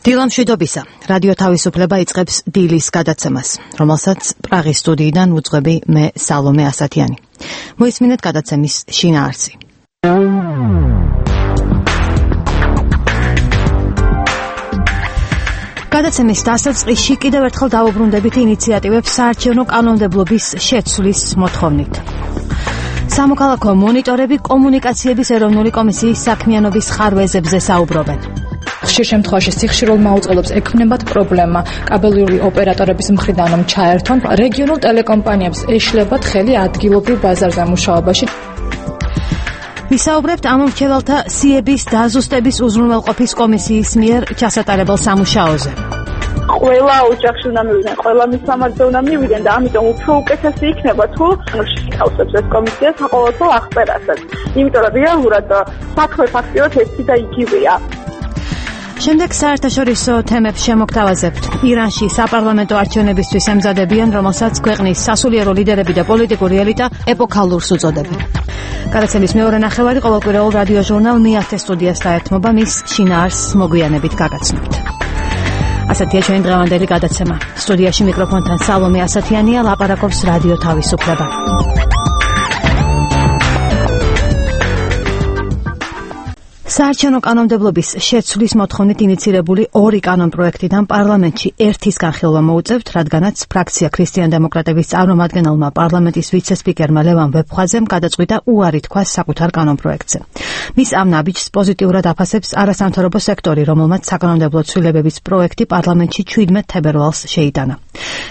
დილამ შვიდობისა. რადიო თავისუფლება იწყებს დილის გადაცემას, რომელსაც პრაღის სტუდიიდან უძღვები მე სალომე ასათიანი. მოისმინეთ გადაცემის შინაარსი. გადაცემის დასაწყისში კიდევ ერთხელ დავუბრუნდებით ინიციატივებს საარჩევნო კანონმდებლობის შეცვლის მოთხოვნით. სამოქალაქო მონიტორები კომუნიკაციების ეროვნული კომისიის საქმიანობის ხარვეზებზე საუბრობენ. ხშირ შემთხვევაში სიხშირულ მაუწყებლობს ექმნებათ პრობლემა კაბელური ოპერატორების მხრიდან რომ ჩაერთონ, რეგიონულ ტელეკომპანიებს ეშლებათ ხელი ადგილობრივ ბაზარზე მუშაობაში. ვისაუბრებთ ამ მრჩეველთა სიების დაზუსტების უზრუნველყოფის კომისიის მიერ ჩასატარებელ სამუშაოზე. ყველა ოჯახში უნდა მივიდნენ, ყველა მისამართზე უნდა მივიდნენ და ამიტომ უფრო უკეთესი იქნება თუ შეთავსებს ეს კომისია საყოველთაო აღწერასაც. იმიტომ რომ რეალურად საქმე ფაქტიურად ერთი და იგივეა. შემდეგ საერთაშორისო თემებს შემოგთავაზებთ. ირანში საპარლამენტო არჩევნებისთვის ემზადებიან, რომელსაც ქვეყნის სასულიერო ლიდერები და პოლიტიკური ელიტა ეპოქალურს უწოდებენ. გადაცემის მეორე ნახევარი ყოველკვირეულ რადიო ჟურნალ მეათე სტუდიას დაეთმობა, მის შინაარსს მოგვიანებით გაგაცნობთ. ასეთია ჩვენი დღევანდელი გადაცემა. სტუდიაში მიკროფონთან სალომე ასათიანია, ლაპარაკობს რადიო თავისუფლება. საარჩევნო კანონმდებლობის შეცვლის მოთხოვნით ინიცირებული ორი კანონპროექტიდან პარლამენტში ერთის განხილვა მოუწევთ, რადგანაც ფრაქცია ქრისტიან-დემოკრატების წარმომადგენელმა პარლამენტის ვიცე-სპიკერმა ლევან ვეფხვაძემ გადაწყვიტა უარი თქვა საკუთარ კანონპროექტზე. მის ამ ნაბიჯს პოზიტიურად აფასებს არასამთავრობო სექტორი, რომელმაც საკანონმდებლო ცვლილებების პროექტი პარლამენტში 17 თებერვალს შეიტანა.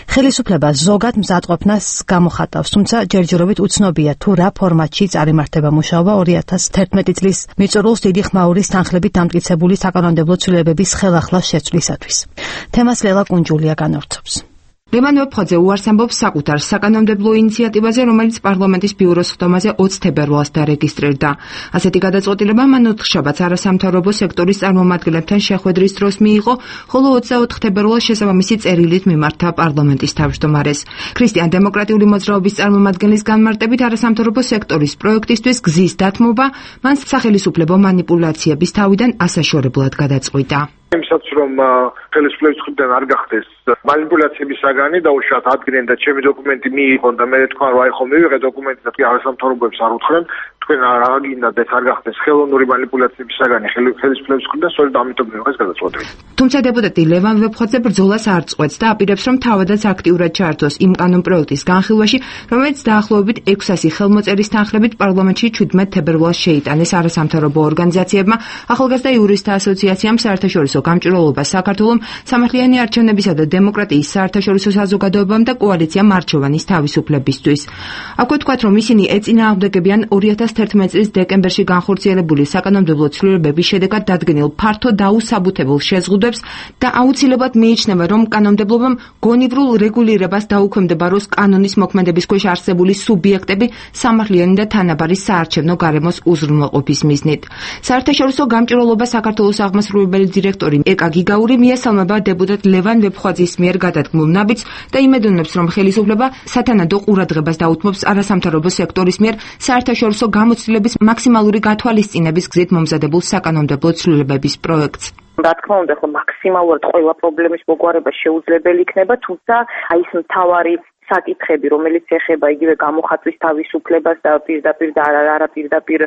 ხელისუფლება ზოგად მზადყოფნას გამოხატავს, თუმცა ჯერჯერობით უცნობია თუ რა ფორმატში წარიმართება მუშაობა 2011 წლის მიწურულს დიდი ხმაურის თანხლებით დამტკიცებული საკანონმდებლო ცვლილებების ხელახლა შეცვლისათვის. თემას ლელა კუნჯულია განავრცობს. ლევან ვეფხვაძე უარს ამბობს საკუთარ საკანონმდებლო ინიციატივაზე, რომელიც პარლამენტის ბიუროს ხდომაზე 20 თებერვალს დარეგისტრირდა. ასეთი გადაწყვეტილება მან ოთხშაბათს არასამთავრობო სექტორის წარმომადგენლებთან შეხვედრის დროს მიიღო, ხოლო 24 თებერვალს შესაბამისი წერილით მიმართა პარლამენტის თავმჯდომარეს. ქრისტიან-დემოკრატიული მოძრაობის წარმომადგენლის განმარტებით არასამთავრობო სექტორის პროექტისთვის გზის დათმობა მან სახელისუფლებო манипуляციების თავიდან ასაშორებლად გადაწყვიტა. იმისაც რომ ხელისუფლების მხრიდან არ გახდეს манипуляციების საგანი და უშუალოდ ადგენენ და ჩემი დოკუმენტი მიიღონ და მე თქვა რომ აი ხომ მივიღე დოკუმენტი და არასამთავრობოებს არ უთხრენ, თქვენ რა გინდათ ეს არ გახდეს ხელოვნური манипуляციების საგანი ხელისუფლების მხრიდან, სწორედ ამიტომ მივიღეს გადაწყვეტილი. თუმცა დეპუტატი ლევან ვეფხვაძე ბრძოლას არ წყვეტს და აპირებს რომ თავადაც აქტიურად ჩაერთოს იმ კანონპროექტის განხილვაში, რომელიც დაახლოებით 600 ხელმოწერის თანხლებით პარლამენტში 17 თებერვალს შეიტანეს არასამთავრობო ორგანიზაციებმა, ახალგაზრდა იურისტთა ასოციაციამ, საერთაშორისო გამჭვირვალობა საქართველოს, სამართლიანი არჩევნებისა და დემოკრატიის საერთაშორისო საზოგადოებამ და კოალიციამ არჩევანის თავისუფლებისთვის. აქვე თქვათ, რომ ისინი ეწინააღმდეგებიან 2011 წლის დეკემბერში განხორციელებული საკანონმდებლო ცვლილებების შედეგად დადგენილ ფართო დაუსაბუთებელ შეზღუდვებს და აუცილებლად მიიჩნევა, რომ კანონმდებლობამ გონივრულ რეგულირებას დაუქვემდებაროს კანონის მოქმედების ქვეშ არსებული სუბიექტები სამართლიანი და თანაბარი საარჩევნო გარემოს უზრუნველყოფის მიზნით. საერთაშორისო გამჭვირვალობა საქართველოს აღმასრულებელი დირექტორი ეკა გიგაური მიესალმება დეპუტატ ლევან ვეფხვაძის მიერ გადადგმულ ნაბიჯს და იმედოვნებს, რომ ხელისუფლება სათანადო ყურადღებას დაუთმობს არასამთავრობო სექტორის მიერ საერთაშორისო გამოცდილების მაქსიმალური გათვალისწინების გზით მომზადებულ საკანონმდებლო ცვლილებების პროექტს. რა თქმა უნდა, ხო მაქსიმალურად ყველა პრობლემის მოგვარება შეუძლებელი იქნება, თუმცა აი ეს მთავარი საკითხები, რომელიც ეხება იგივე გამოხატვის თავისუფლებას და პირდაპირ და არაპირდაპირ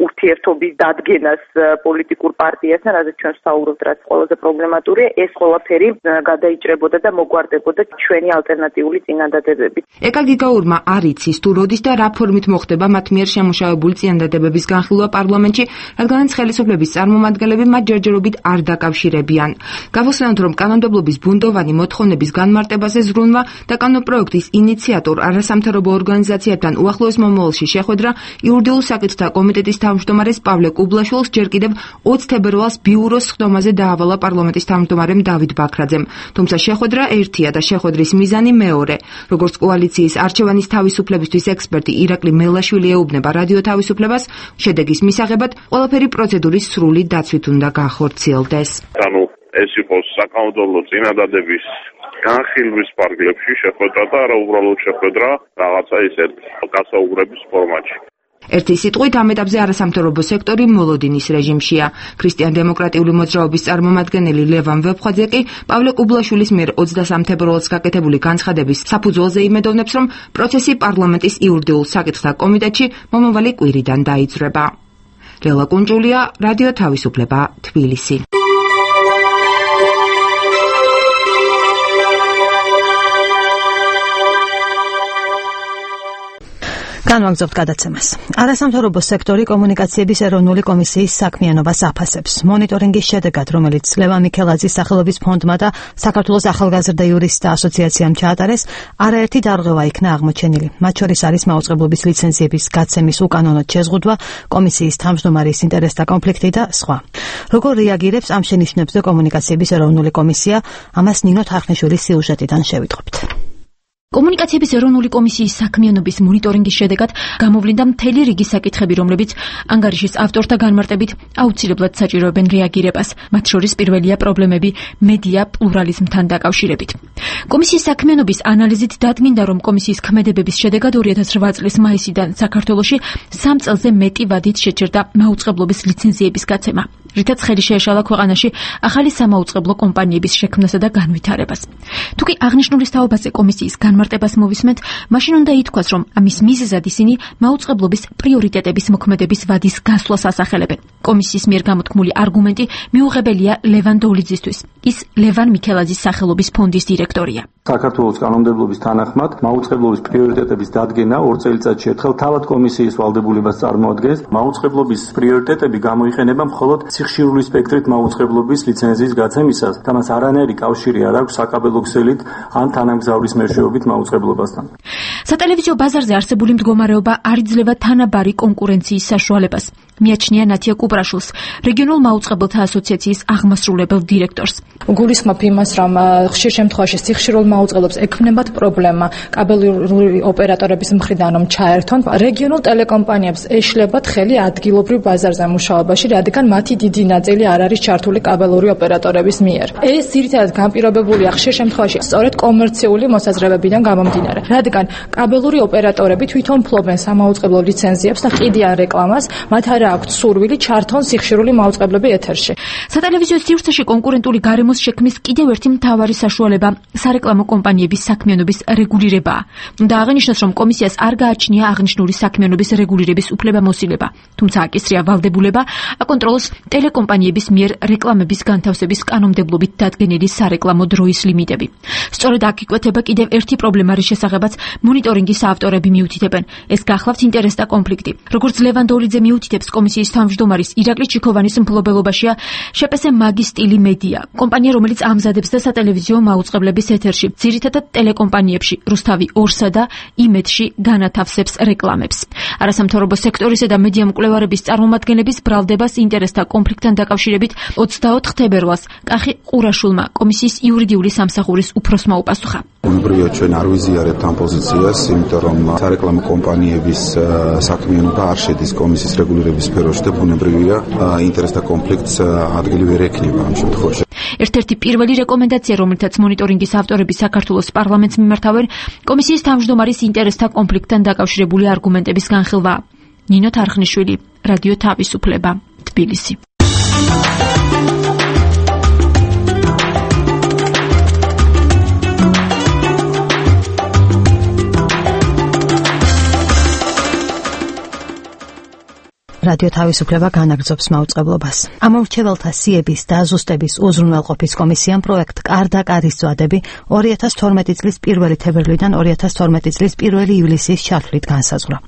ურთიერთობის დადგენას პოლიტიკურ პარტიასთან, რადგან ჩვენ ვსაუბრობთ, რაც ყველაზე პრობლემატურია, ეს ყველაფერი გადაიჭრებოდა და მოგვარდებოდა ჩვენი ალტერნატიული წინადადებებით. ეკა გიგაურმა არ იცის თუ როდის და რა ფორმით მოხდება მათ მიერ შემუშავებული წინადადებების განხილვა პარლამენტში, რადგანაც ხელისუფლების წარმომადგენლები მათ ჯერჯერობით არ დაკავშირებიან. გავხსენოთ, რომ კანონმდებლობის ბუნდოვანი მოთხოვნების განმარტებაზე ზრუნვა და კანონპროექტის ინიციატორ არასამთავრობო ორგანიზაციებთან უახლოეს მომავალში შეხვედრა იურიდიულ საკითხთა კომიტეტის თავმჯდომარეს პავლე კუბლაშვილს ჯერ კიდევ 20 თებერვალს ბიუროს ხდომაზე დაავალა პარლამენტის თავმჯდომარემ დავით ბაქრაძემ. თუმცა შეხვედრა ერთია და შეხვედრის მიზანი მეორე. როგორც კოალიციის არჩევანის თავისუფლებისთვის ექსპერტი ირაკლი მელაშვილი ეუბნება რადიო თავისუფლებას, შედეგის მისაღებად ყველაფერი პროცედურის სრული დაცვით უნდა განხორციელდეს. ეს იყოს საკანონმდებლო წინადადების განხილვის პარკლებში შეხვედრა და არა უბრალოდ შეხვედრა რაღაცა ისეთ გასაუბრების ფორმატში. ერთი სიტყვით ამ ეტაპზე არასამთავრობო სექტორი მოლოდინის რეჟიმშია. ქრისტიან-დემოკრატიული მოძრაობის წარმომადგენელი ლევან ვეფხვაძე კი პავლე კუბლაშვილის მიერ 23 თებერვალს გაკეთებული განცხადების საფუძველზე იმედოვნებს, რომ პროცესი პარლამენტის იურიდიულ საკითხთა კომიტეტში მომავალი კვირიდან დაიძრება. ლელა კუნჭულია, რადიო თავისუფლება, თბილისი. განვაგრძობთ გადაცემას. არასამთავრობო სექტორი კომუნიკაციების ეროვნული კომისიის საქმიანობას აფასებს. მონიტორინგის შედეგად, რომელიც ლევან მიქელაძის სახელობის ფონდმა და საქართველოს ახალგაზრდა იურისტთა ასოციაციამ ჩაატარეს, არაერთი დარღვევა იქნა აღმოჩენილი. მათ შორის არის მაუწყებლობის ლიცენზიების გაცემის უკანონოდ შეზღუდვა, კომისიის თავმჯდომარის ინტერესთა კონფლიქტი და სხვა. როგორ რეაგირებს ამ შენიშვნებზე კომუნიკაციების ეროვნული კომისია? ამას ნინო თარხნიშვილის სიუჟეტიდან შევიტყობთ. კომუნიკაციების ეროვნული კომისიის საქმიანობის მონიტორინგის შედეგად გამოვლინდა მთელი რიგი საკითხები, რომლებიც ანგარიშის ავტორთა განმარტებით აუცილებლად საჭიროებენ რეაგირებას. მათ შორის პირველია პრობლემები მედია პლურალიზმთან დაკავშირებით. კომისიის საქმიანობის ანალიზით დადგინდა, რომ კომისიის ქმედებების შედეგად 2008 წლის მაისიდან საქართველოში 3 წელზე მეტი ვადით შეჭერდა მაუწყებლობის ლიცენზიების გაცემა, რითაც ხელი შეეშალა ქვეყანაში ახალი სამაუწყებლო კომპანიების შექმნასა და განვითარებას. თუკი აღნიშნულის თაობაზე კომისიის განმარტებას მოვისმენთ, მაშინ უნდა ითქვას, რომ ამის მიზეზად ისინი მაუწყებლობის პრიორიტეტების მოქმედების ვადის გასვლას ასახელებენ. კომისიის მიერ გამოთქმული არგუმენტი მიუღებელია ლევან დოლიძისთვის. ის ლევან მიქელაძის სახელობის ფონდის დირექტორია. საქართველოს კანონმდებლობის თანახმად მაუწყებლობის პრიორიტეტების დადგენა 2 წელიწადში ერთხელ თავად კომისიის ვალდებულებას წარმოადგენს. მაუწყებლობის პრიორიტეტები გამოიყენება მხოლოდ სიხშირული სპექტრით მაუწყებლობის ლიცენზიის გაცემისას და მას არანაირი კავშირი არ აქვს საკაბელო ქსელით ან თანამგზავრის მეშვეობით მაუწყებლობასთან. სატელევიზიო ბაზარზე არსებული მდგომარეობა არ იძლევა თანაბარი კონკურენციის საშუალებას. მიაჩნია ნათია კუბრაშვილს, რეგიონულ მაუწყებლთა ასოციაციის აღმასრულებელ დირექტორს. გულისხმობ იმას, რომ ხშირ შემთხვევაში სიხშირულ მაუწყებლობს ექმნებათ პრობლემა კაბელური ოპერატორების მხრიდან რომ ჩაერთონ, რეგიონულ ტელეკომპანიებს ეშლებათ ხელი ადგილობრივ ბაზარზე მუშაობაში, რადგან მათი დიდი ნაწილი არ არის ჩართული კაბელური ოპერატორების მიერ. ეს ძირითადად განპირობებულია ხშირ შემთხვევაში სწორედ კომერციული მოსაზრებებიდან გამომდინარე, რადგან კაბელური ოპერატორები თვითონ ფლობენ სამაუწყებლო ლიცენზიებს და ყიდიან რეკლამას, მათ არ აქვთ სურვილი ჩართონ სიხშირული მაუწყებლები ეთერში. სატელევიზიო სივრცეში კონკურენტული გარემოს შექმნის კიდევ ერთი მთავარი საშუალება სარეკლამო კომპანიების საქმიანობის რეგულირებაა. უნდა აღინიშნოს, რომ კომისიას არ გააჩნია აღნიშნული საქმიანობის რეგულირების უფლებამოსილება, თუმცა აკისრია ვალდებულება აკონტროლოს ტელეკომპანიების მიერ რეკლამების განთავსების კანონმდებლობით დადგენილი სარეკლამო დროის ლიმიტები. სწორედ აქ იკვეთება კიდევ ერთი პრობლემა, რის შესახებაც მონიტორინგის ავტორები მიუთითებენ. ეს გახლავთ ინტერესთა კონფლიქტი. როგორც ლევან დოლიძე მიუთითებს, კომისიის თავმჯდომარის ირაკლი ჩიქოვანის მფლობელობაშია შეპესე მაგის სტილი მედია, კომპანია, რომელიც ამზადებს და სატელევიზიო მაუწყებლების ეთერში, ძირითადად ტელეკომპანიებში, რუსთავი 2-სა და იმედში განათავსებს რეკლამებს. არასამთავრობო სექტორისა და მედია მკვლევარების წარმომადგენლების ბრალდებას ინტერესთა კონფლიქტთან დაკავშირებით 24 თებერვალს კახი ყურაშვილმა კომისიის იურიდიული სამსახურის უფროსმა უპასუხა. ბუნებრივია ჩვენ არ ვიზიარებთ ამ პოზიციას, იმიტომ რომ სარეკლამო კომპანიების საქმიანობა არ შედის კომისიის რეგულირების სფეროში და ბუნებრივია ინტერესთა კონფლიქტს ადგილი ვერ ექნება ამ შემთხვევაში. ერთ-ერთი პირველი რეკომენდაცია, რომელთაც მონიტორინგის ავტორები საქართველოს პარლამენტს მიმართავენ, კომისიის თავმჯდომარის ინტერესთა კონფლიქტთან დაკავშირებული არგუმენტების განხილვა. ნინო თარხნიშვილი, რადიო თავისუფლება, თბილისი. რადიო თავისუფლება განაგრძობს მაუწყებლობას. ამომრჩეველთა სიების და ზუსტების უზრუნველყოფის კომისიამ პროექტ კარდა კარის წვადები 2012 წლის 1 თებერვლიდან 2012 წლის 1 ივლისის ჩათვლით განსაზღვრა.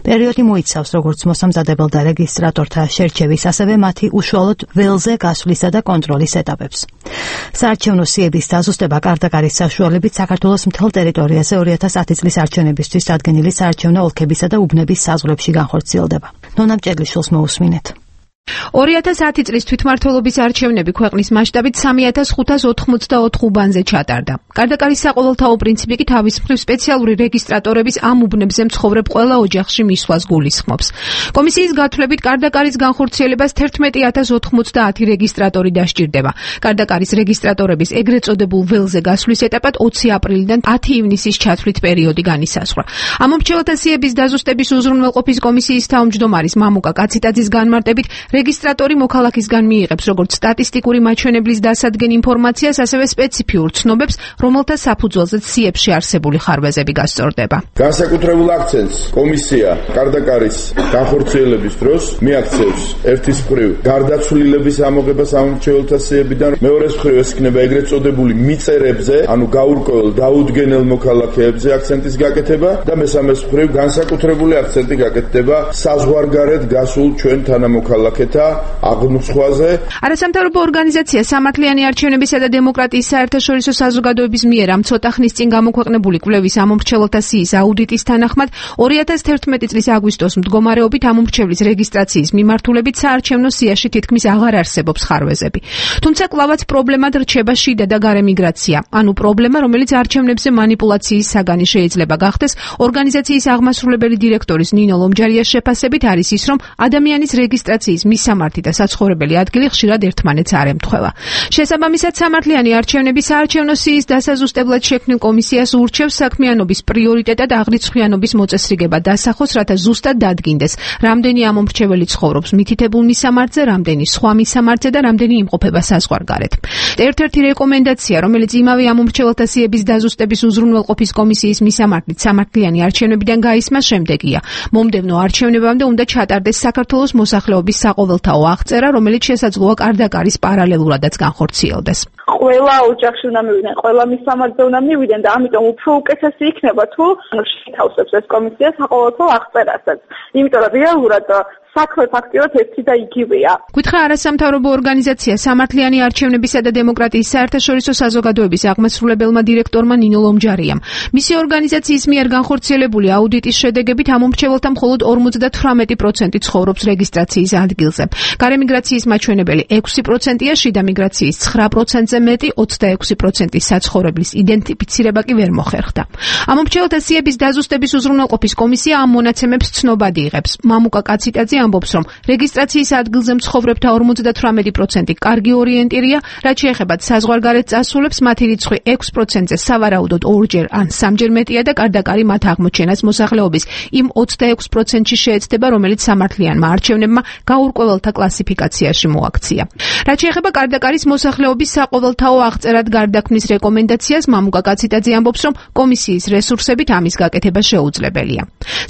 პერიოდი მოიცავს როგორც მოსამზადებელ და რეგისტრატორთა შერჩევის, ასევე მათი უშუალოდ ველზე გასვლისა და კონტროლის ეტაპებს. საარჩევნო სიების დაზუსტება კარდა კარის საშუალებით საქართველოს მთელ ტერიტორიაზე 2010 წლის არჩევნებისთვის დადგენილი საარჩევნო ოლქებისა და უბნების საზღვრებში განხორციელდება. ნონა მჭედლიშვილს მოусმინეთ. 2010 წლის თვითმმართველობის არჩევნები ქვეყნის მასშტაბით 3584 უბანზე ჩატარდა. გარდაკარის საყოველთაო პრინციპი კი თავის მხრივ სპეციალური რეგისტრატორების ამ უბნებზე მცხოვრებ ყველა ოჯახში მისვლას გულისხმობს. კომისიის გათვლებით გარდაკარის განხორციელებას 11090 რეგისტრატორი დასჭირდება. გარდაკარის რეგისტრატორების ეგრეთ წოდებულ ველზე გასვლის ეტაპად 20 აპრილიდან 10 ივნისის ჩათვლით პერიოდი განისაზღვრა. ამ მომრჩეველთა სიების დაზუსტების უზრუნველყოფის კომისიის თავმჯდომარის მამუკა კაციტაძის განმარტებით რეგისტრატორი მოქალაქისგან მიიღებს როგორც სტატისტიკური მაჩვენებლის დასადგენ ინფორმაციას, ასევე სპეციფიურ ცნობებს, რომელთა საფუძველზეც სიებში არსებული ხარვეზები გასწორდება. განსაკუთრებულ აქცენტს კომისია გარდაკარის განხორციელების დროს მიაქცევს ერთის მხრივ გარდაცვლილების ამოღებას ამომრჩეველთა სიებიდან, მეორეს მხრივ ეს იქნება ეგრეთ წოდებული მიწერებზე, ანუ გაურკვეველ დაუდგენელ მოქალაქეებზე აქცენტის გაკეთება და მესამეს მხრივ განსაკუთრებული აქცენტი გაკეთდება საზღვარგარეთ გასულ ჩვენ თანამოქალაქეთა აღნუცხვაზე. არასამთავრობო ორგანიზაცია სამართლიანი არჩევნებისა და დემოკრატიის საერთაშორისო საზოგადოების მიერ ამ ცოტა ხნის წინ გამოქვეყნებული კვლევის ამომრჩეველთა სიის აუდიტის თანახმად 2011 წლის აგვისტოს მდგომარეობით ამომრჩევლის რეგისტრაციის მიმართულებით საარჩევნო სიაში თითქმის აღარ არსებობს ხარვეზები. თუმცა კლავაც პრობლემად რჩება შიდა და გარე მიგრაცია, ანუ პრობლემა, რომელიც არჩევნებზე манипуляციის საგანი შეიძლება გახდეს. ორგანიზაციის აღმასრულებელი დირექტორის ნინო ლომჯარიას შეფასებით არის ის, რომ ადამიანის რეგისტრაციის მისამართი და საცხოვრებელი ადგილი ხშირად ერთმანეთს არ ემთხვევა. შესაბამისად, სამართლიანი არჩევნები საარჩევნო სიის დასაზუსტებლად შექმნილ კომისიას ურჩევს საქმიანობის პრიორიტეტად აღრიცხვიანობის მოწესრიგება დასახოს, რათა ზუსტად დადგინდეს, რამდენი ამომრჩეველი ცხოვრობს მითითებულ მისამართზე, რამდენი სხვა მისამართზე და რამდენი იმყოფება საზღვარგარეთ. ერთ-ერთი რეკომენდაცია, რომელიც იმავე ამომრჩეველთა სიების დაზუსტების უზრუნველყოფის კომისიის მისამართით სამართლიანი არჩევნებიდან გაისმა შემდეგია. მომდევნო არჩევნებამდე უნდა ჩატარდეს საქართველოს მოსახლეობის საყოველთაო აღწერა, რომელიც შესაძლოა კარდაკარის პარალელურადაც განხორციელდეს. ყველა ოჯახში უნდა მივიდნენ, ყველა მისამართზე უნდა მივიდნენ და ამიტომ უფრო უკეთესი იქნება თუ შეთავსებს ეს კომისია საყოველთაო აღწერასაც. იმიტომ რომ რეალურად საქმე ფაქტიურად ერთი და იგივეა. გითხრა არასამთავრობო ორგანიზაცია სამართლიანი არჩევნებისა და დემოკრატიის საერთაშორისო საზოგადოების აღმასრულებელმა დირექტორმა ნინო ლომჯარიამ. მისი ორგანიზაციის მიერ განხორციელებული აუდიტის შედეგებით ამომრჩეველთა მხოლოდ 58% ცხოვრობს რეგისტრაციის ადგილზე. გარე მიგრაციის მაჩვენებელი 6%-ია, შიდა მიგრაციის 9%-ზე მეტი, 26% საცხოვრებლის იდენტიფიცირება კი ვერ მოხერხდა. ამომრჩეველთა სიების დაზუსტების უზრუნველყოფის კომისია ამ მონაცემებს ცნობად იღებს. მამუკა კაციტაძე ამბობს, რომ რეგისტრაციის ადგილზე მცხოვრებთა 58% კარგი ორიენტირია, რაც შეეხება საზღვარგარეთ წასულებს, მათი რიცხვი 6%-ზე სავარაუდოდ 2-ჯერ ან 3-ჯერ მეტია და კარდაკარი მათ აღმოჩენას მოსახლეობის იმ 26%-ში შეეცდება, რომელიც სამართლიანმა არჩევნებმა გაურკვეველთა კლასიფიკაციაში მოაქცია. რაც შეეხება კარდაკარის მოსახლეობის საყოველთაო აღწერად გარდაქმნის რეკომენდაციას, მამუკა კაციტაძე ამბობს, რომ კომისიის რესურსებით ამის გაკეთება შეუძლებელია.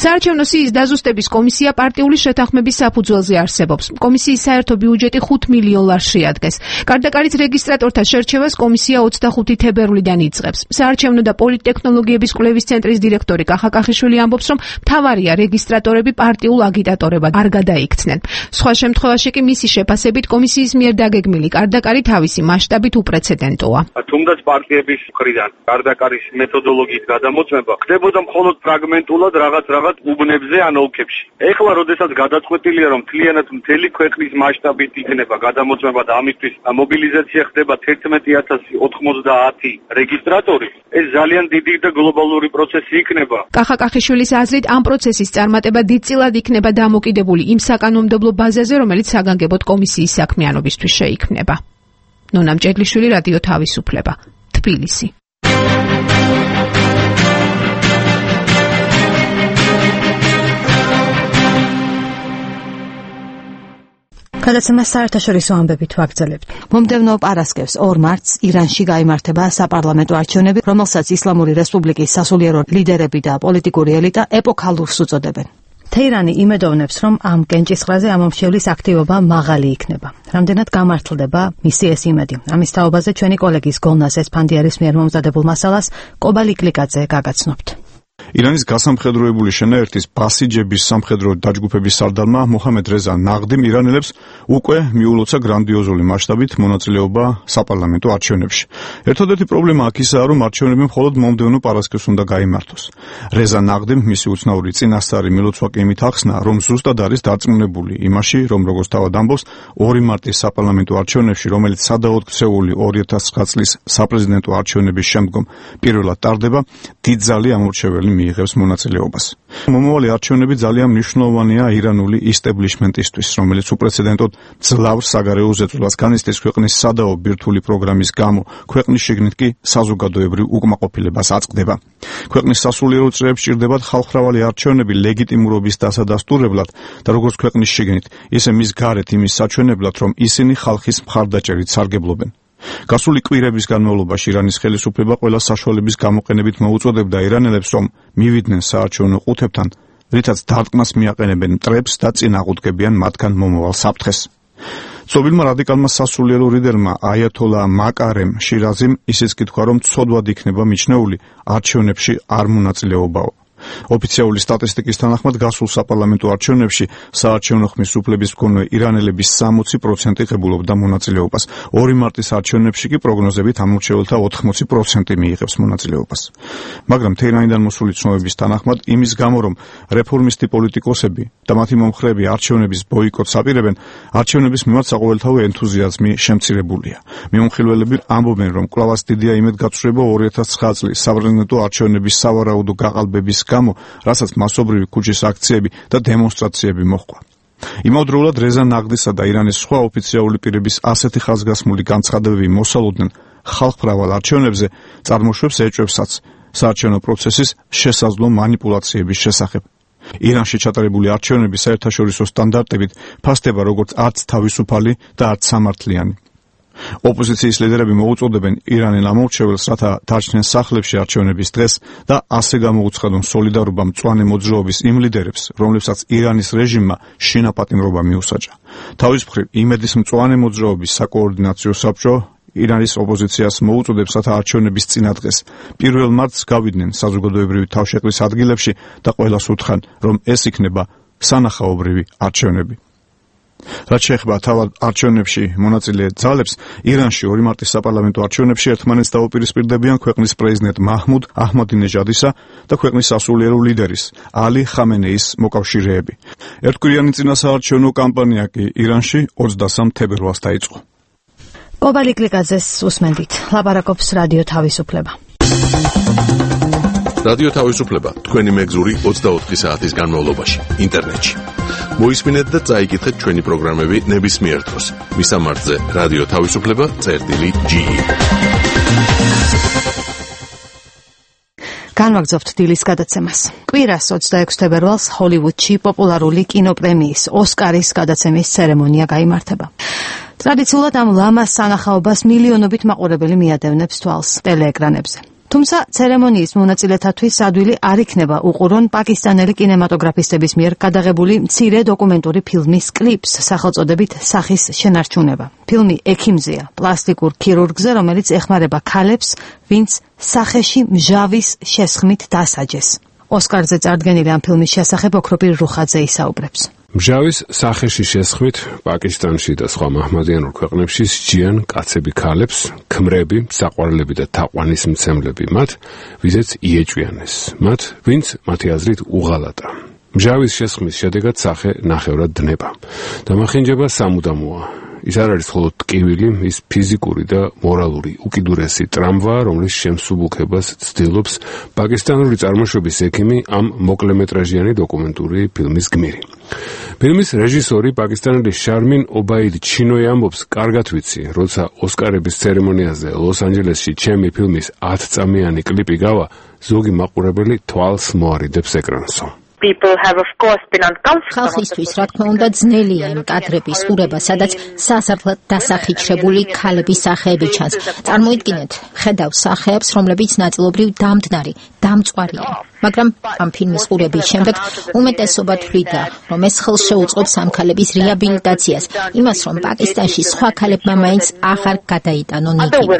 საარჩევნო სიის დაზუსტების კომისია პარტიული შეთანხმების საფუძველზე არსებობს. კომისიის საერთო ბიუჯეტი 5 მილიონ ლარს შეადგენს. კარდაკარის რეგისტრატორთა შერჩევას კომისია 25 თებერვლიდან იწყებს. საარჩევნო და პოლიტექნოლოგიების კვლევის ცენტრის დირექტორი კახა კახიშვილი ამბობს, რომ მთავარია რეგისტრატორები პარტიულ აგიტატორებად არ გადაიქცნენ. სხვა შემთხვევაში კი მისი შეფასებით კომისიის მიერ დაგეგმილი კარდაკარი თავისი მასშტაბით უპრეცედენტოა. თუმდაც პარტიების მხრიდან კარდაკარის მეთოდოლოგიის გადამოწმება ხდებოდა მხოლოდ ფრაგმენტულად რაღაც უბნებზე ან ოლქებში. ეხლა როდესაც გადაწყვეტილია, რომ მთლიანად მთელი ქვეყნის მასშტაბით იქნება გადამოწმება და ამისთვის მობილიზაცია ხდება 11090 რეგისტრატორი, ეს ძალიან დიდი და გლობალური პროცესი იქნება. კახა კახიშვილის აზრით, ამ პროცესის წარმატება დიდწილად იქნება დამოკიდებული იმ საკანონმდებლო ბაზაზე, რომელიც საგანგებოდ კომისიის საქმიანობისთვის შეიქმნება. ნონა მჭედლიშვილი, რადიო თავისუფლება, თბილისი. გადაცემას საერთაშორისო ამბებით ვაგრძელებთ. მომდევნო პარასკევს 2 მარტს ირანში გაიმართება საპარლამენტო არჩევნები, რომელსაც ისლამური რესპუბლიკის სასულიერო ლიდერები და პოლიტიკური ელიტა ეპოქალურს უწოდებენ. თეირანი იმედოვნებს, რომ ამ კენჭისყრაზე ამომრჩევლის აქტივობა მაღალი იქნება. რამდენად გამართლდება მისი ეს იმედი. ამის თაობაზე ჩვენი კოლეგის გოლნას ესფანდიარის მიერ მომზადებულ მასალას კობალი კლიკაძე გაგაცნობთ. ირანის გასამხედროებული შენაერთის ბასიჯების სამხედრო დაჯგუფების სარდალმა მოჰამედ რეზა ნაღდიმ ირანელებს უკვე მიულოცა გრანდიოზული მასშტაბით მონაწილეობა საპარლამენტო არჩევნებში. ერთადერთი პრობლემა აქ ისაა, რომ არჩევნები მხოლოდ მომდევნო პარასკევს უნდა გაიმართოს. რეზა ნაღდიმ მისი უცნაური წინასწარი მილოცვა კი იმით ახსნა, რომ ზუსტად არის დარწმუნებული იმაში, რომ როგორც თავად ამბობს, 2 მარტის საპარლამენტო არჩევნებში, რომელიც სადავოდ ქცეული 2009 წლის საპრეზიდენტო არჩევნების შემდგომ პირველად ტარდება, დიდძალი ამორჩეველი მიიღებს მონაწილეობას. მომავალი არჩევნები ძალიან მნიშვნელოვანია ირანული ისტებლიშმენტისთვის, რომელიც უპრეცედენტოდ ძლავს საგარეო ზეწოლას განიცდის ქვეყნის სადაო ბირთვული პროგრამის გამო, ქვეყნის შიგნით კი საზოგადოებრივ უკმაყოფილებას აწყდება. ქვეყნის სასულიერო წრეებს სჭირდებათ ხალხმრავალი არჩევნები ლეგიტიმურობის დასადასტურებლად და როგორც ქვეყნის შიგნით, ისე მის გარეთ იმის საჩვენებლად, რომ ისინი ხალხის მხარდაჭერით სარგებლობენ. გასული კვირების განმავლობაში ირანის ხელისუფლება ყველა საშუალების გამოყენებით მოუწოდებდა ირანელებს, რომ მივიდნენ საარჩევნო ყუთებთან, რითაც დარტყმას მიაყენებენ მტრებს და წინ აღუდგებიან მათგან მომავალ საფრთხეს. ცნობილმა რადიკალმა სასულიერო ლიდერმა აიათოლა მაკარემ შირაზიმ ისიც კი თქვა, რომ ცოდვად იქნება მიჩნეული არჩევნებში არ მონაწილეობაო. ოფიციალური სტატისტიკის თანახმად გასულ საპარლამენტო არჩევნებში საარჩევნო ხმის უფლების მქონე ირანელების 60% ღებულობდა მონაწილეობას. 2 მარტის არჩევნებში კი პროგნოზებით ამორჩეველთა 80% მიიღებს მონაწილეობას. მაგრამ თეირანიდან მოსული ცნობების თანახმად იმის გამო, რომ რეფორმისტი პოლიტიკოსები და მათი მომხრეები არჩევნების ბოიკოტს აპირებენ, არჩევნების მიმართ საყოველთაო ენთუზიაზმი შემცირებულია. მიმოხილველები ამბობენ, რომ კვლავაც დიდია იმედგაცრუება 2009 წლის საპრეზიდენტო არჩევნების სავარაუდო გაყალბების გამო, რასაც მასობრივი ქუჩის აქციები და დემონსტრაციები მოჰყვა. იმავდროულად რეზა ნაღდისა და ირანის სხვა ოფიციალური პირების ასეთი ხაზგასმული განცხადებები მოსალოდნენ ხალხმრავალ არჩევნებზე, წარმოშვებს ეჭვებსაც საარჩევნო პროცესის შესაძლო მანიპულაციების შესახებ. ირანში ჩატარებული არჩევნები საერთაშორისო სტანდარტებით ფასდება როგორც არც თავისუფალი და არც სამართლიანი. ოპოზიციის ლიდერები მოუწოდებენ ირანელ ამორჩეველს, რათა დარჩნენ სახლებში არჩევნების დღეს და ასე გამოუცხადონ სოლიდარობა მწვანე მოძრაობის იმ ლიდერებს, რომლებსაც ირანის რეჟიმმა შინაპატიმრობა მიუსაჯა. თავის მხრივ იმედის მწვანე მოძრაობის საკოორდინაციო საბჭო ირანის ოპოზიციას მოუწოდებს, რათა არჩევნების წინა დღეს 1 მარტს გავიდნენ საზოგადოებრივი თავშეყრის ადგილებში და ყველას უთხრან, რომ ეს იქნება სანახაობრივი არჩევნები. რაც შეეხება თავად არჩევნებში მონაწილე ძალებს, ირანში 2 მარტის საპარლამენტო არჩევნებში ერთმანეთს დაუპირისპირდებიან ქვეყნის პრეზიდენტ მაჰმუდ აჰმადინეჟადისა და ქვეყნის სასულიერო ლიდერის ალი ხამენეის მოკავშირეები. ერთკვირიანი წინასაარჩევნო კამპანია კი ირანში 23 თებერვალს დაიწყო. კობალი კლიკაძეს უსმენდით. ლაპარაკობს რადიო თავისუფლება. რადიო თავისუფლება თქვენი მეგზური 24 საათის განმავლობაში ინტერნეტში. მოისმინეთ და წაიკითხეთ ჩვენი პროგრამები ნებისმიერ დროს. მისამართზე რადიო თავისუფლება.ge. განვაგრძობთ დილის გადაცემას. კვირას 26 თებერვალს ჰოლივუდში პოპულარული კინოპრემიის ოსკარის გადაცემის ცერემონია გაიმართება. ტრადიციულად ამ ლამას სანახაობას მილიონობით მაყურებელი მიადევნებს თვალს ტელეეკრანებზე. თუმცა ცერემონიის მონაწილეთათვის ადვილი არ იქნება უყურონ პაკისტანელი კინემატოგრაფისტების მიერ გადაღებული მცირე დოკუმენტური ფილმის კლიპს სახელწოდებით სახის შენარჩუნება. ფილმი ექიმზეა, პლასტიკურ ქირურგზე, რომელიც ეხმარება ქალებს, ვინც სახეში მჟავის შესხმით დასაჯეს. ოსკარზე წარდგენილი ამ ფილმის შესახებ ოქროპირ რუხაძე ისაუბრებს. მჟავის სახეში შესხმით პაკისტანში და სხვა მაჰმადიანურ ქვეყნებში სჯიან კაცები ქალებს, ქმრები, საყვარლები და თაყვანისმცემლები მათ, ვიზეც იეჭვიანეს, მათ, ვინც მათი აზრით უღალატა. მჟავის შესხმის შედეგად სახე ნახევრად დნება. დამახინჯება სამუდამოა. ის არ არის მხოლოდ ტკივილი, ის ფიზიკური და მორალური უკიდურესი ტრამვაა, რომლის შემსუბუქებას ცდილობს პაკისტანური წარმოშობის ექიმი ამ მოკლემეტრაჟიანი დოკუმენტური ფილმის გმირი. ფილმის რეჟისორი პაკისტანელი შარმინ ობაიდი ჩინოი ამბობს, კარგად ვიცი, როცა ოსკარების ცერემონიაზე ლოს-ანჯელესში ჩემი ფილმის 10 წამიანი კლიპი გავა, ზოგი მაყურებელი თვალს მოარიდებს ეკრანსო. ხალხისთვის, რა თქმა უნდა, ძნელია იმ კადრების ყურება, სადაც სასარგებლად დასახიჩრებული ქალების სახეები ჩანს. წარმოიდგინეთ, ხედავ სახეებს, რომლებიც ნაწილობრივ დამდნარი, დამწვარიან. მაგრამ ამ ფილმის ყურების შემდეგ უმეტესობა თვლიდა, რომ ეს ხელს შეუწყობს ამ ქალების რეაბილიტაციას, იმას, რომ პაკისტანში სხვა ქალებმა მაინც აღარ გადაიტანონ იგივე.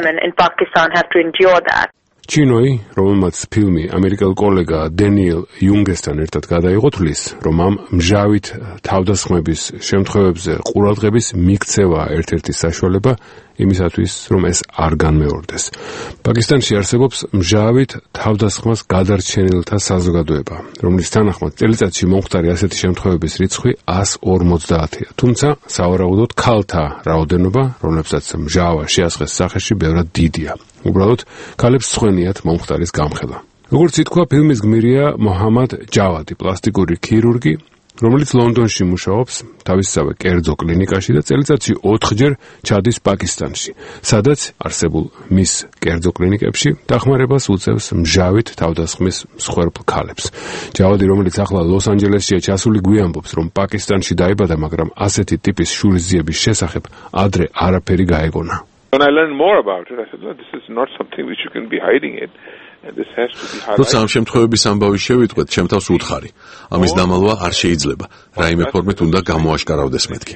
ჩინოი, რომელმაც ფილმი ამერიკელ კოლეგა დენიელ იუნგესთან ერთად გადაიღო, თვლის, რომ ამ მჟავით თავდასხმების შემთხვევებზე ყურადღების მიქცევა ერთ-ერთი საშუალება იმისათვის, რომ ეს არ განმეორდეს. პაკისტანში არსებობს მჟავით თავდასხმას გადარჩენილთა საზოგადოება, რომლის თანახმად წელიწადში მომხდარი ასეთი შემთხვევების რიცხვი 150-ია. თუმცა, სავარაუდოდ ქალთა რაოდენობა, რომლებსაც მჟავა შეასხეს სახეში, ბევრად დიდია. უბრალოდ, ქალებს სხვენიათ მომხდარის გამხელა. როგორც ითქვა, ფილმის გმირია მოჰამად ჯავადი, პლასტიკური ქირურგი, რომელიც ლონდონში მუშაობს თავისსავე კერძო კლინიკაში და წელიწადში 4-ჯერ ჩადის პაკისტანში, სადაც არსებულ მის კერძო კლინიკებში დახმარებას უწევს მჟავით თავდასხმის მსხვერპლ ქალებს. ჯავადი, რომელიც ახლა ლოს-ანჯელესშია ჩასული, გვიამბობს, რომ პაკისტანში დაიბადა, მაგრამ ასეთი ტიპის შურისძიების შესახებ ადრე არაფერი გაეგონა. When I learned more about it, I said, no, this is not something which you can be hiding it. This has to be highlighted. როცა ამ შემთხვევების ამბავი შევიტყვეთ, ჩემ თავს უთხარი. ამის დამალვა არ შეიძლება. რაიმე ფორმით უნდა გამოაშკარავდეს მეთქი.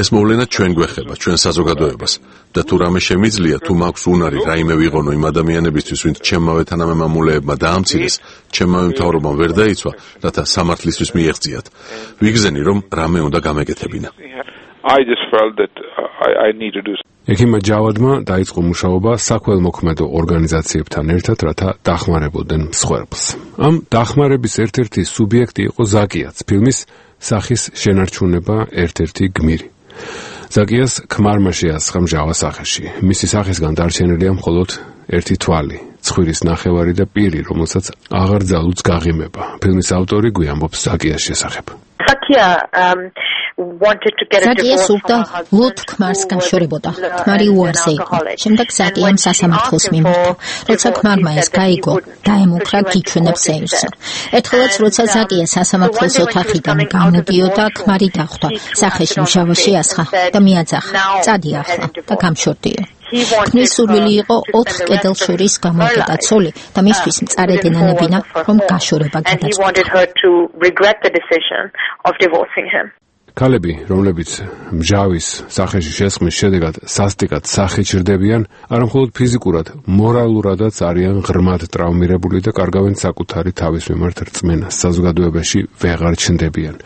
ეს მოვლენა ჩვენ გვეხება, ჩვენ საზოგადოებას. და თუ რამე შემიძლია, თუ მაქვს უნარი რაიმე ვიღონო იმ ადამიანებისთვის, ვინც ჩემმავე თანამემამულეებმა დაამცირეს, ჩემმავე მთავრობამ ვერ დაიცვა, რათა სამართლისთვის მიეღწიათ. ვიგზენი, რომ რამე უნდა გამეკეთებინა. I just felt that I need to do. ექიმმა ჯავადმა დაიწყო მუშაობა საქველმოქმედო ორგანიზაციებთან ერთად, რათა დახმარებოდნენ მსხვერპლს. ამ დახმარების ერთ-ერთი სუბიექტი იყო ზაკიაც, ფილმის სახის შენარჩუნება ერთ-ერთი გმირი. ზაკიას ქმარმა შეასხა მჟავა სახეში. მისი სახისგან დარჩენილია მხოლოდ ერთი თვალი, ცხვირის ნახევარი და პირი, რომელსაც აღარ ძალუძს გაღიმება. ფილმის ავტორი გვიამბობს ზაკიას შესახებ. ზაკია სურდა ლოთ ქმარს განშორებოდა. ქმარი უარზე იყო. შემდეგ ზაკიამ სასამართლოს მიმართა. როცა ქმარმა ეს გაიგო, დაემუქრა გიჩვენებს ეირსა. ერთხელაც როცა ზაკია სასამართლოს ოთახიდან გამოდიოდა, ქმარი დახვდა. სახეში მჟავა შეასხა და მიაძახა. წადი ახლა და გამშორდიო. ქმრის სურვილი იყო 4 კედელ შორის გამოვკეტა ცოლი და მისთვის მწარე დენანებინა, რომ გაშორება გადაწყვეტა. ქალები, რომლებიც მჟავის სახეში შესხმის შედეგად სასტიკად სახით ჩრდებიან, არამხოლოდ ფიზიკურად, მორალურადაც არიან ღრმად ტრავმირებული და კარგავენ საკუთარი თავის მიმართ რწმენას, საზოგადოებაში ვეღარ ჩნდებიან.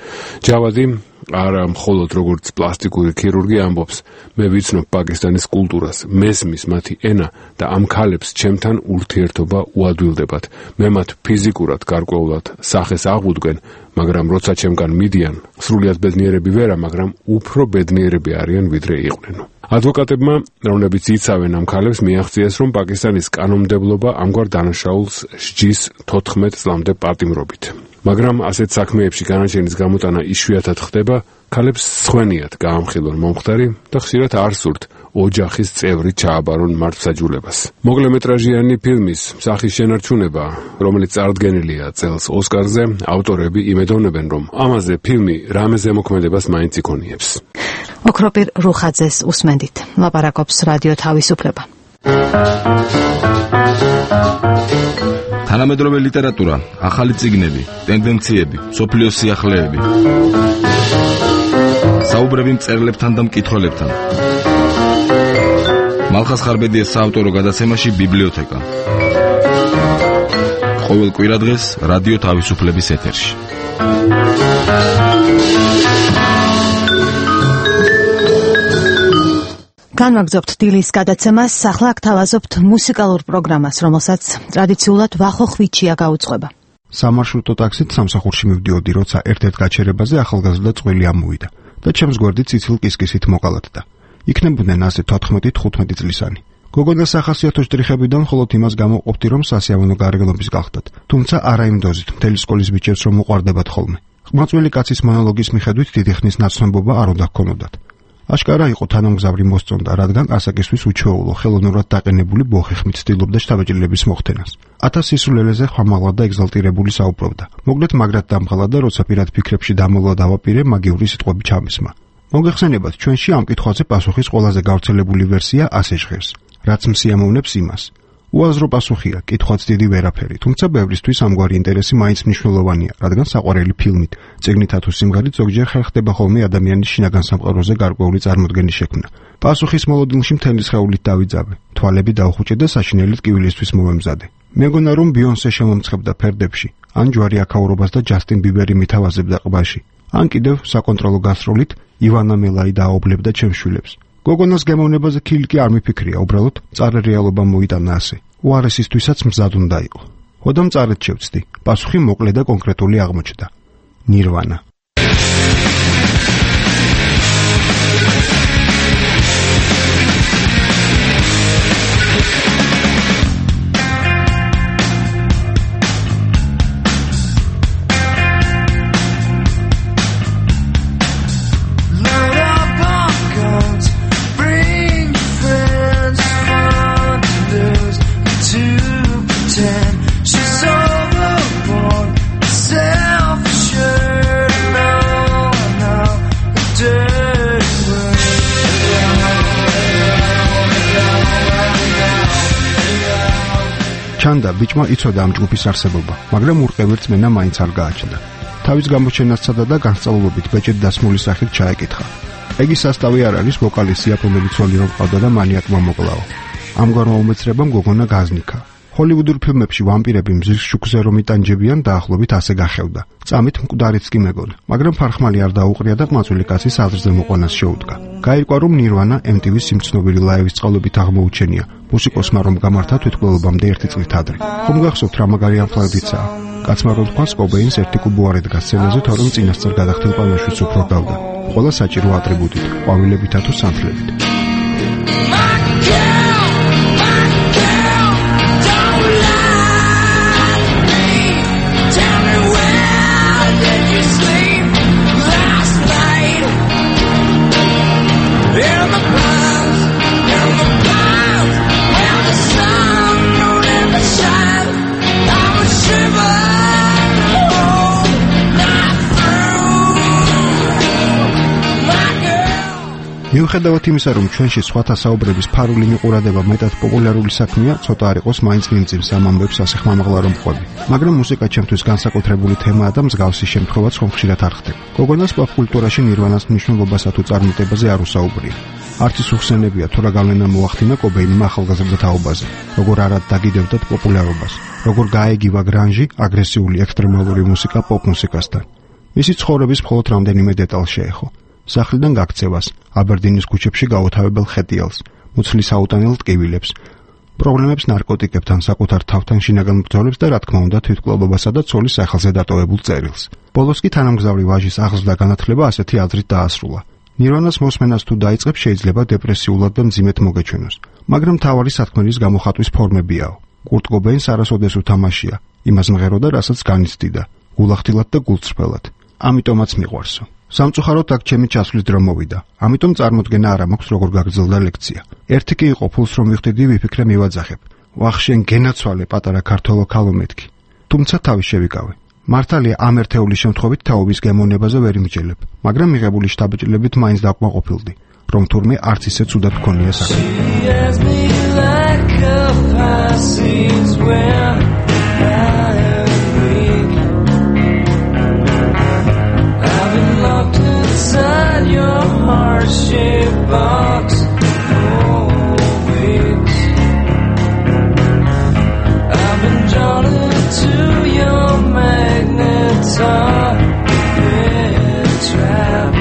ჯავადი არა მხოლოდ როგორც პლასტიკური ქირურგი ამბობს, მე ვიცნობ პაკისტანის კულტურას, მესმის მათი ენა და ამ ქალებს ჩემთან ურთიერთობა უადვილდებათ. მე მათ ფიზიკურად გარკვეულად სახეს აღვუდგენ, მაგრამ როცა ჩემგან მიდიან, სრულიად ბედნიერები ვერა, მაგრამ უფრო ბედნიერები არიან ვიდრე იყვნენ. ადვოკატებმა, რომლებიც იცავენ ამ ქალებს, მიაღწიეს, რომ პაკისტანის კანონმდებლობა ამგვარ დანაშაულს სჯის 14 წლამდე პატიმრობით. მაგრამ ასეთ საქმეებში განაჩენის გამოტანა იშვიათად ხდება, ქალებს სხვენიათ გაამხილონ მომხდარი და ხშირად არ სურთ ოჯახის წევრი ჩააბარონ მართლმსაჯულებას. მოკლემეტრაჟიანი ფილმის სახის შენარჩუნება, რომელიც წარდგენილია წელს ოსკარზე, ავტორები იმედოვნებენ, რომ ამაზე ფილმი რამე ზემოქმედებას მაინც იქონიებს. ოქროპირ რუხაძეს უსმენდით. ლაპარაკობს რადიო თავისუფლება. თანამედროვე ლიტერატურა, ახალი წიგნები, ტენდენციები, სოფლიოს სიახლეები. საუბრები მწერლებთან და მკითხველებთან. მალხას ხარბედიას საავტორო გადაცემაში ბიბლიოთეკა. ყოველ კვირადღეს რადიო თავისუფლების ეთერში. განვაგრძობთ დილის გადაცემას, ახლა გთავაზობთ მუსიკალურ პროგრამას, რომელსაც ტრადიციულად ვახო ხვიჩია გაუძღვება. სამარშრუტო ტაქსით სამსახურში მივდიოდი, როცა ერთ-ერთ გაჩერებაზე ახალგაზრდა წყვილი ამოვიდა და ჩემს გვერდით ციცილ კისკისით მოკალათდა. იქნებოდნენ ასე 14-15 წლისანი. გოგონას ახასიათო შტრიხებიდან მხოლოდ იმას გამოყოფდი, რომ სასიამოვნო გარეგნობის გახდათ, თუმცა არა იმ დოზით, მთელი სკოლის ბიჭებს რომ უყვარდებათ ხოლმე. ყმაწვილი კაცის მონოლოგის მიხედვით დიდი ხნის ნაცნობობა არ უნდა ჰქონოდათ. აშკარა იყო თანამგზავრი მოსწონდა, რადგან ასაკისთვის უჩვეულო, ხელოვნურად დაყენებული ბოხი ხმით ცდილობდა შთაბეჭდილების მოხდენას. 1000 სისულელეზე ხმამაღლა და ეგზალტირებული საუბრობდა. მოგლეთ მაგრად დამღალა და როცა პირად ფიქრებში დამოლა დავაპირე, მაგიური სიტყვები ჩამისმა. მოგეხსენებათ, ჩვენში ამ კითხვაზე პასუხის ყველაზე გავრცელებული ვერსია ასე ჟღერს. რაც მსიამოვნებს იმას. უაზრო პასუხია, კითხვაც დიდი ვერაფერი, თუმცა ბევრისთვის ამგვარი ინტერესი მაინც მნიშვნელოვანია, რადგან საყვარელი ფილმით, წიგნითა თუ სიმღერით ზოგჯერ ხერხდება ხოლმე ადამიანის შინაგან სამყაროზე გარკვეული წარმოდგენის შექმნა. პასუხის მოლოდინში მთელი სხეულით დავიძაბე, თვალები დავხუჭე და საშინელით კივილისთვის მოვემზადე. მეგონა რომ ბიონსე შემომცხებდა ფერდებში, ან ჯვარი აქაურობას და ჯასტინ ბიბერი მითავაზებდა ყბაში, ან კიდევ საკონტროლო გასროლით ივანა მელაი დააობლებდა ჩემს შვილებს. გოგონას გემოვნებაზე ქილიკი არ მიფიქრია, უბრალოდ მწარე რეალობა მოიტანა ასე. უარესისთვისაც მზად უნდა იყო. ხოდამ მწარედ შევწდი. პასუხი მოკლე და კონკრეტული აღმოჩნდა. ნირვანა. ჩანდა ბიჭმა იცოდა ამ ჯგუფის არსებობა, მაგრამ ურყევი რწმენა მაინც არ გააჩნდა. თავის გამოჩენას ცადა და განსწავლობით ბეჭედ დასმული სახით ჩაეკითხა. ეგ სასტავი არ არის ვოკალისტი, რომელიც ცოლი რომ ყავდა და მანიაკმა მოკლაო. ამგვარმა უმეცრებამ გოგონა გაზნიქა. ჰოლივუდურ ფილმებში ვამპირები მზის შუქზე რომ იტანჯებიან, დაახლოებით ასე გახევდა. წამით მკვდარიც კი მეგონა, მაგრამ ფარხმალი არ დაუყრია და ყმაწვილი კაცის აზრზე მოყვანას შეუდგა. გაირკვა რომ ნირვანა MTV-ს სიმცნობილი ლაივის წყალობით აღმოუჩენია. მუსიკოსმა რომ გამართა თვითმკვლელობამდე 1 წლით ადრე. ხომ გახსოვთ რა მაგარი ამხლებიცაა? კაცმა რომ თქვა კობეინს 1 კუბო არ ედგა სცენაზე, თორემ წინასწარ გადახდელ პანოშიც უფრო გავდა. ყველა საჭირო ატრიბუტით, ყვავილებითა თუ სანთლებით. მიუხედავად იმისა, რომ ჩვენში სხვათა საუბრების ფარული მიყურადება მეტად პოპულარული საქმეა, ცოტა არ იყოს მაინც მიმძიმს ამ ამბებს ასე ხმამაღლა რომ ყვები. მაგრამ მუსიკა ჩემთვის განსაკუთრებული თემაა და მსგავსი შემთხვევაც ხომ ხშირად არ ხდება. გოგონას პოპ კულტურაში ნირვანას მნიშვნელობასა თუ წარმატებაზე არ უსაუბრია. არც ის უხსენებია, თუ რა გავლენა მოახდინა კობეინმა ახალგაზრდა თაობაზე, როგორ არად დაგიდევდათ პოპულარობას, როგორ გაეგივა გრანჟი, აგრესიული ექსტრემალური მუსიკა პოპ მუსიკასთან. მისი ცხოვრების მხოლოდ რამდენიმე დეტალს შეეხო. სახლიდან გაქცევას, აბერდინის ქუჩებში გაუთავებელ ხეტიალს, მუცლის აუტანელ ტკივილებს, პრობლემებს ნარკოტიკებთან, საკუთარ თავთან შინაგან ბრძოლებს და რა თქმა უნდა თვითმკვლელობასა და ცოლის სახელზე დატოვებულ წერილს. ბოლოს კი თანამგზავრი ვაჟის აღზრდა განათლება ასეთი აზრით დაასრულა. ნირვანას მოსმენას თუ დაიწყებს, შეიძლება დეპრესიულად და მძიმედ მოგეჩვენოს, მაგრამ მთავარი სათქმელის გამოხატვის ფორმებიაო. კურტ კობეინს არასოდეს უთამაშია, იმას მღეროდა, რასაც განიცდიდა, გულახდილად და გულწრფელად. ამიტომაც მიყვარსო. სამწუხაროდ აქ ჩემი ჩასვლის დრო მოვიდა. ამიტომ წარმოდგენა არ მაქვს როგორ გაგრძელდა ლექცია. ერთი კი იყო ფულს რომ მივხვდი, ვიფიქრე მივაძახებ. ვახშენ გენაცვალე პატარა ქართველო ქალო მეთქი. თუმცა თავი შევიკავე. მართალია ამ ერთეულის შემთხვევით თაობის გემოვნებაზე ვერ იმჯელებ, მაგრამ მიღებული შთაბეჭდილებით მაინც დაკმაყოფილდი, რომ თურმე არც ისე ცუდად მქონია საქმე. Inside your heart-shaped box for weeks, I've been drawn into your magnetic trap.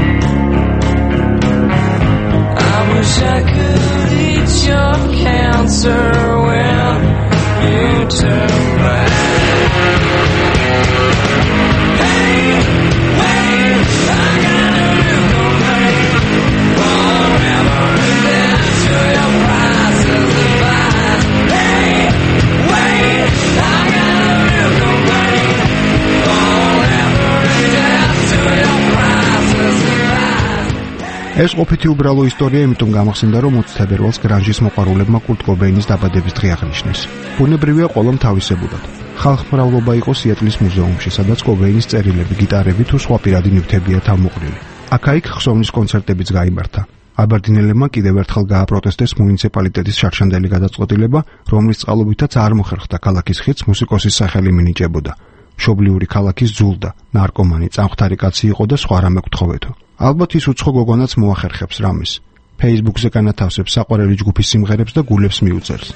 I wish I could eat your cancer when you turn back. ეს ყოფითი უბრალო ისტორია, იმიტომ გამახსენდა, რომ 20 თებერვალს გრანჟის მოყვარულებმა კურტ კობეინის დაბადების დღე აღნიშნეს. ბუნებრივია ყველამ თავისებურად. ხალხმრავლობა იყო სიეტლის მუზეუმში, სადაც კობეინის წერილები, გიტარები თუ სხვა პირადი ნივთებია თავმოყრილი. აქა-იქ ხსოვნის კონცერტებიც გაიმართა. აბერდინელებმა კიდევ ერთხელ გააპროტესტეს მუნიციპალიტეტის შარშანდელი გადაწყვეტილება, რომლის წყალობითაც არ მოხერხდა ქალაქის ხიდს მუსიკოსის სახელი მინიჭებოდა. მშობლიური ქალაქის ძულდა, ნარკომანი, წამხდარი კაცი იყო და სხვა რამე გთხოვეთო. ალბათ ის უცხო გოგონაც მოახერხებს რამის. Facebook-ზე განათავსებს საყვარელი ჯგუფის სიმღერებს და გულებს მიუწერს.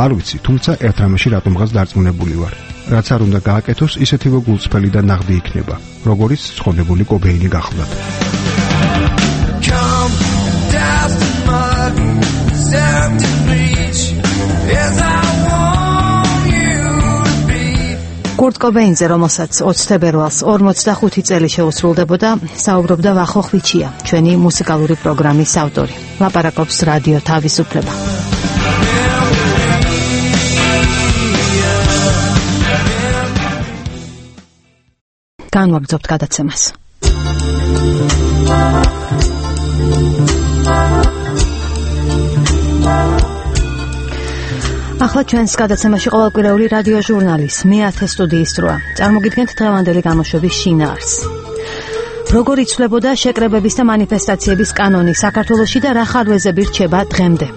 არ ვიცი, თუმცა ერთ რამეში რატომღაც დარწმუნებული ვარ. რაც არ უნდა გააკეთოს, ისეთივე გულწრფელი და ნაღდი იქნება, როგორიც ცხონებული კობეინი გახლდათ. კურტ კობეინზე, რომელსაც 20 თებერვალს 45 წელი შეუსრულდებოდა, საუბრობდა ვახო ხვიჩია, ჩვენი მუსიკალური პროგრამის ავტორი. ლაპარაკობს რადიო თავისუფლება. განვაგრძობთ გადაცემას. ახლა ჩვენს გადაცემაში ყოველკვირეული რადიო ჟურნალის მე-10 სტუდიის დროა. წარმოგიდგენთ დღევანდელი გამოშვების შინაარსს. როგორ იცვლებოდა შეკრებების და მანიფესტაციების კანონი საქართველოში და რა ხარვეზები რჩება დღემდე?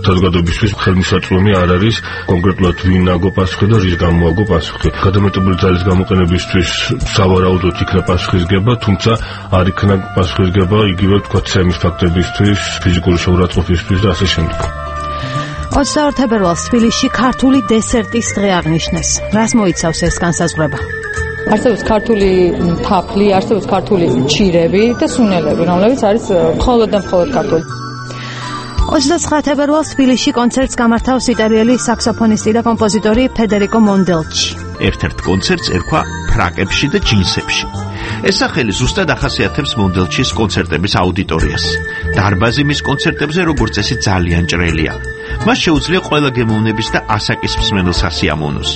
საზოგადოებისთვის ხელმისაწვდომი არ არის კონკრეტულად ვინ აგო პასუხი და რის გამო აგო პასუხი. გადამეტებული ძალის გამოყენებისთვის სავარაუდოდ იქნა პასუხისგება, თუმცა არ იქნა პასუხისგება იგივე თქვა ცემის ფაქტებისთვის, ფიზიკური შეურაცხყოფისთვის და ასე შემდეგ. 22 თებერვალს თბილისში ქართული დესერტის დღე აღნიშნეს. რას მოიცავს ეს განსაზღვრება? არსებობს ქართული თაფლი, არსებობს ქართული ჩირები და სუნელები, რომლებიც არის მხოლოდ და მხოლოდ ქართული. 29 თებერვალს თბილისში კონცერტს გამართავს იტალიელი საქსოფონისტი და კომპოზიტორი ფედერიკო მონდელჩი. ერთ-ერთ კონცერტს ერქვა ფრაკებში და ჯინსებში. ეს სახელი ზუსტად ახასიათებს მონდელჩის კონცერტების აუდიტორიას. დარბაზი მის კონცერტებზე როგორც წესი ძალიან ჭრელია. მას შეუძლია ყველა გემოვნების და ასაკის მსმენელს ასიამოვნოს.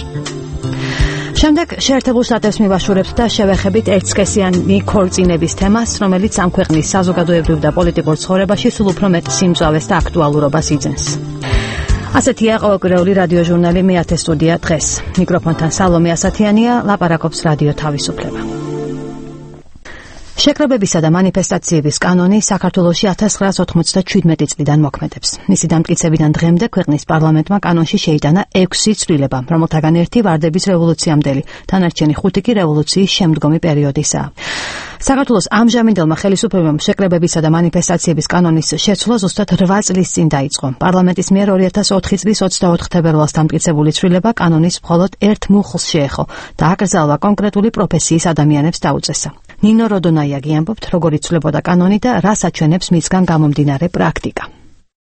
შემდეგ შეერთებულ შტატებს მივაშურებთ და შევეხებით ერთსქესიანი ქორწინების თემას, რომელიც ამ ქვეყნის საზოგადოებრივ და პოლიტიკურ ცხოვრებაში სულ უფრო მეტ სიმწვავეს და აქტუალურობას იძენს. ასეთია ყოველკვირეული რადიო ჟურნალი მე-10 სტუდია დღეს. მიკროფონთან სალომე ასათიანია, ლაპარაკობს რადიო თავისუფლება. შეკრებებისა და მანიფესტაციების კანონი საქართველოში 1997 წლიდან მოქმედებს. მისი დამტკიცებიდან დღემდე ქვეყნის პარლამენტმა კანონში შეიტანა 6 ცვლილება, რომელთაგან ერთი ვარდების რევოლუციამდელი, დანარჩენი 5 კი რევოლუციის შემდგომი პერიოდისაა. საქართველოს ამჟამინდელმა ხელისუფლებამ შეკრებებისა და მანიფესტაციების კანონის შეცვლა ზუსტად 8 წლის წინ დაიწყო. პარლამენტის მიერ 2004 წლის 24 თებერვალს დამტკიცებული ცვლილება კანონის მხოლოდ ერთ მუხლს შეეხო და აკრძალვა კონკრეტული პროფესიის ადამიანებს დაუწესა. ნინო როდონაიაგი ამბობთ, როგორ იცვლებოდა კანონი და რას აჩვენებს მისგან გამომდინარე პრაქტიკა.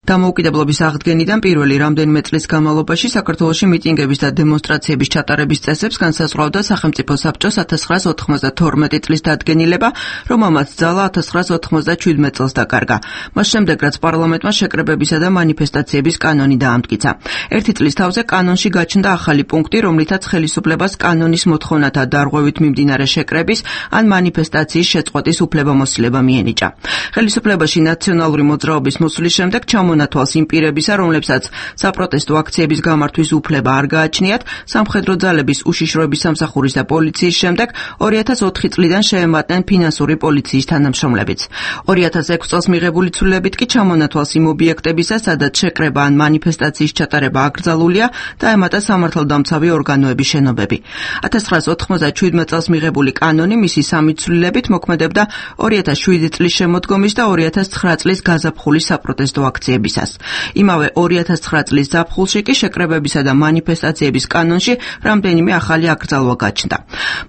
დამოუკიდებლობის აღდგენიდან პირველი რამდენიმე წლის განმავლობაში საქართველოში მიტინგების და დემონსტრაციების ჩატარების წესებს განსაზღვრავდა სახელმწიფო საბჭოს 1992 წლის დადგენილება, რომელმაც ძალა 1997 წელს დაკარგა. მას შემდეგ, რაც პარლამენტმა შეკრებებისა და მანიფესტაციების კანონი დაამტკიცა. ერთი წლის თავზე კანონში გაჩნდა ახალი პუნქტი, რომლითაც ხელისუფლებას კანონის მოთხოვნათა დარღვევით მიმდინარე შეკრების ან მანიფესტაციის შეწყვეტის უფლებამოსილება მიენიჭა. ხელისუფლებაში ნაციონალური მოძრაობის მოსვლის შემდეგ მონათვალს იმ პირებისა, რომლებსაც საპროტესტო აქციების გამართვის უფლება არ გააჩნიათ, სამხედრო ძალების უშიშროების სამსახურის და პოლიციის შემდეგ 2004 წლიდან შეემატნენ ფინანსური პოლიციის თანამშრომლებიც. 2006 წელს მიღებული ცვლილებით კი ჩამონათვალს იმ ობიექტებისა, სადაც შეკრება ან მანიფესტაციის ჩატარება აკრძალულია და ემატა სამართალდამცავი ორგანოების შენობები. 1997 წელს მიღებული კანონი მისი სამი ცვლილებით მოქმედებდა 2007 წლის შემოდგომის და 2009 წლის გაზაფხულის საპროტესტო აქციებისას. იმავე 2009 წლის ზაფხულში კი შეკრებებისა და მანიფესტაციების კანონში რამდენიმე ახალი აკრძალვა გაჩნდა.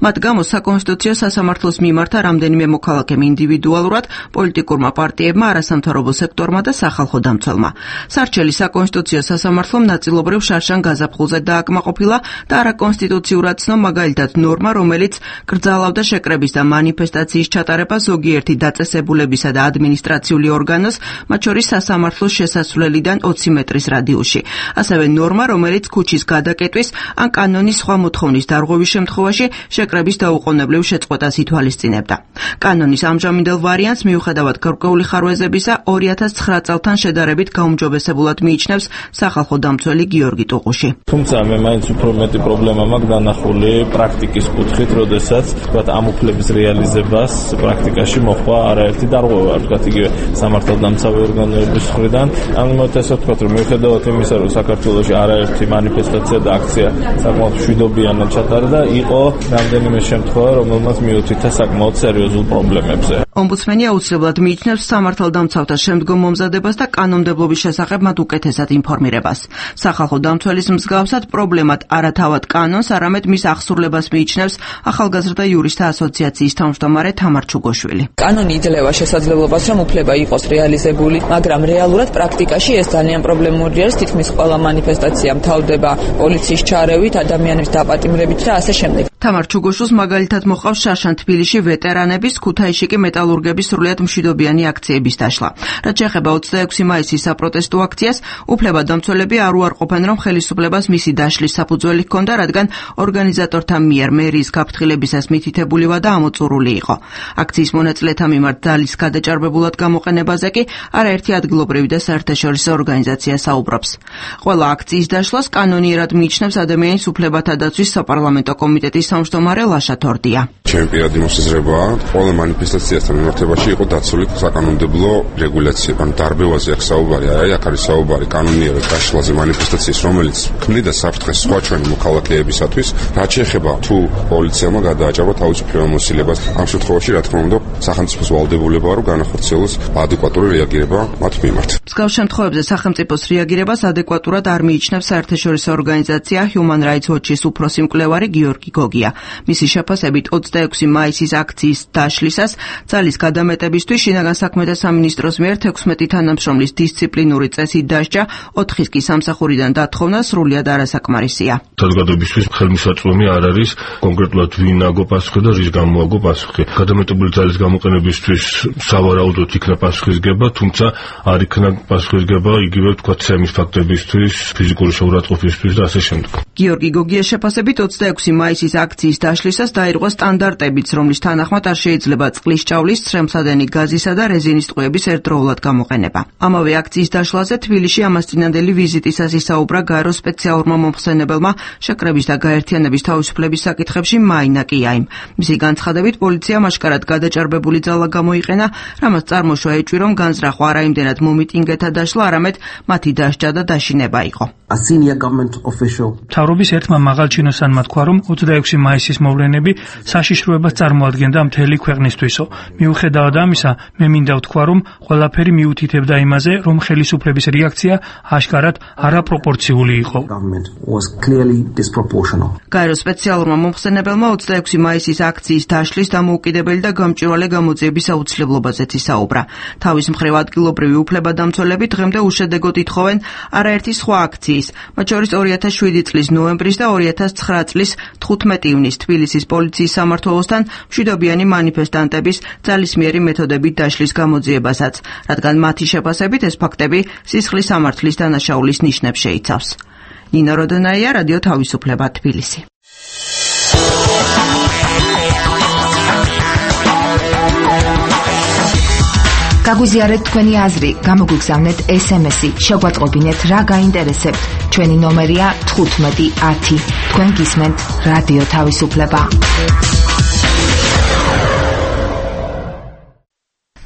მათ გამო საკონსტიტუციო სასამართლოს მიმართა რამდენიმე მოქალაქემ ინდივიდუალურად, პოლიტიკურმა პარტიებმა, არასამთავრობო სექტორმა და სახალხო დამცველმა. სარჩელი საკონსტიტუციო სასამართლომ ნაწილობრივ შარშან გაზაფხულზე დააკმაყოფილა და არაკონსტიტუციურად ცნო მაგალითად ნორმა, რომელიც კრძალავდა შეკრების და მანიფესტაციის ჩატარება ზოგიერთი დაწესებულებისა და ადმინისტრაციული ორგანოს, მათ შორის სასამართლოს შესასვლელიდან 20 მეტრის რადიუსში. ასევე ნორმა, რომელიც ქუჩის გადაკეტვის ან კანონის სხვა მოთხოვნის დარღვევის შემთხვევაში შეკრების დაუყოვნებლივ შეწყვეტას ითვალისწინებდა. კანონის ამჟამინდელ ვარიანტს მიუხედავად გარკვეული ხარვეზებისა 2009 წელთან შედარებით გაუმჯობესებულად მიიჩნევს სახალხო დამცველი გიორგი ტუყუში. თუმცა მე მაინც უფრო მეტი პრობლემა მაქვს დანახული პრაქტიკის კუთხით, როდესაც თქვათ ამ უფლების რეალიზებას პრაქტიკაში მოხდა არაერთი დარღვევა, თქვათ იგივე სამართალდამცავი ორგანოების მხრიდან. ამიტომ ესე ვთქვათ, რომ მიუხედავად იმისა, რომ საქართველოში არაერთი მანიფესტაცია და აქცია საკმაოდ მშვიდობიანად ჩატარდა, იყო რამდენიმე შემთხვევა, რომელმაც მიუთითა საკმაოდ სერიოზულ პრობლემებზე. ომბუდსმენი აუცილებლად მიიჩნევს სამართალდამცავთა შემდგომ მომზადებას და კანონმდებლობის შესახებ მათ უკეთესად ინფორმირებას. სახალხო დამცველის მსგავსად პრობლემად არა თავად კანონს, არამედ მის აღსრულებას მიიჩნევს ახალგაზრდა იურისტთა ასოციაციის თავმჯდომარე თამარ ჩუგოშვილი. კანონი იძლევა შესაძლებლობას, რომ უფლება იყოს რეალიზებული, მაგრამ რეალურად პრაქტიკაში ეს ძალიან პრობლემური არის. თითქმის ყველა მანიფესტაცია მთავრდება პოლიციის ჩარევით, ადამიანების დაპატიმრებით და ასე შემდეგ. თამარ ჩუგოშვილს მაგალითად მოყავს შარშან თბილისში ვეტერანების, ქუთაისში კი მეტალურგების სრულიად მშვიდობიანი აქციების დაშლა. რაც შეეხება 26 მაისის საპროტესტო აქციას, უფლებადამცველები არ უარყოფენ, რომ ხელისუფლებას მისი დაშლის საფუძველი ჰქონდა, რადგან ორგანიზატორთა მიერ მერიის გაფრთხილებისას მითითებული ვადა ამოწურული იყო. აქციის მონაწილეთა მიმართ ძალის გადაჭარბებულად გამოყენებაზე კი არაერთი ადგილობრივი და საერთაშორისო ორგანიზაცია საუბრობს. ყველა აქციის დაშლას კანონიერად მიიჩნევს ადამიანის უფლებათა დაცვის საპარლამენტო კომიტეტის თავმჯდომარე ლაშა თორდია. ჩემი პირადი მოსაზრებაა, ყველა მანიფესტაციასთან მიმართებაში იყო დაცული საკანონმდებლო რეგულაცია. ან დარბევაზე აქ საუბარი არ არის, აქ არის საუბარი კანონიერად დაშლაზე მანიფესტაციის, რომელიც ქმნიდა საფრთხეს სხვა ჩვენი მოქალაქეებისათვის. რაც შეეხება თუ პოლიციამ გადააჭარბა თავისუფლება მოსილებას, ამ შემთხვევაში რა თქმა უნდა სახელმწიფოს ვალდებულებაა, რომ განახორციელოს ადეკვატური რეაგირება მათ მიმართ. მსგავს შემთხვევებზე სახელმწიფოს რეაგირებას ადეკვატურად არ მიიჩნევს საერთაშორისო ორგანიზაცია Human Rights Watch-ის უფროსი მკვლევარი გიორგი გოგია. მისი შეფასებით 26 მაისის აქციის დაშლისას ძალის გადამეტებისთვის შინაგან საქმეთა სამინისტროს მიერ 16 თანამშრომლის დისციპლინური წესით დასჯა, 4-ის კი სამსახურიდან დათხოვნა სრულიად არასაკმარისია. საზოგადოებისთვის ხელმისაწვდომი არ არის კონკრეტულად ვინ აგო პასუხი და რის გამო აგო პასუხი. გადამეტებული ძალის გამოყენებისთვის სავარაუდოდ იქნა პასუხისგება, თუმცა არ იქნა პასუხისგება იგივე ვთქვათ სემის ფაქტებისთვის, ფიზიკური შეურაცხყოფისთვის და ასე შემდეგ. გიორგი გოგიას შეფასებით 26 მაისის აქციის დაშლისას დაირღვა სტანდარტებიც, რომლის თანახმად არ შეიძლება წყლის ჭავლის, ცრემლსადენი გაზისა და რეზინის ტყვეების ერთდროულად გამოყენება. ამავე აქციის დაშლაზე თბილისში ამასწინანდელი ვიზიტისას ისაუბრა გაერო სპეციალურმა მომხსენებელმა შეკრების და გაერთიანების თავისუფლების საკითხებში მაინა კიაიმ. მისი განცხადებით პოლიციამ აშკარად გადაჭარბებული ძალა გამოიყენა, რამაც წარმოშვა ეჭვი, რომ განზრახვა არა იმდენად მომიტინგეთა დაშლა, არამედ მათი დასჯა და დაშინება იყო. მთავრობის ერთმა მაღალჩინოსანმა თქვა, რომ 26 მაისის მოვლენები საშიშროებას წარმოადგენდა მთელი ქვეყნისთვისო. მიუხედავად ამისა, მე მინდა ვთქვა, რომ ყველაფერი მიუთითებდა იმაზე, რომ ხელისუფლების რეაქცია აშკარად არაპროპორციული იყო. გაერო სპეციალურმა მომხსენებელმა 26 მაისის აქციის დაშლის დამოუკიდებელი და გამჭვირვალე გამოძიების აუცილებლობაზეც ისაუბრა. თავის მხრივ ადგილობრივი უფლებადამცველები დღემდე უშედეგოდ ითხოვენ არაერთი სხვა აქციის, მათ შორის 2007 წლის ნოემბრის და 2009 წლის 15 ივნის თბილისის პოლიციის სამმართველოსთან მშვიდობიანი მანიფესტანტების ძალისმიერი მეთოდებით დაშლის გამოძიებასაც, რადგან მათი შეფასებით ეს ფაქტები სისხლის სამართლის დანაშაულის ნიშნებს შეიცავს. ნინო როდონაია, რადიო თავისუფლება, თბილისი. გაგვიზიარეთ თქვენი აზრი, გამოგვიგზავნეთ SMS-ი, შეგვატყობინეთ რა გაინტერესებთ. ჩვენი ნომერია 1510. თქვენ გისმენთ რადიო თავისუფლება.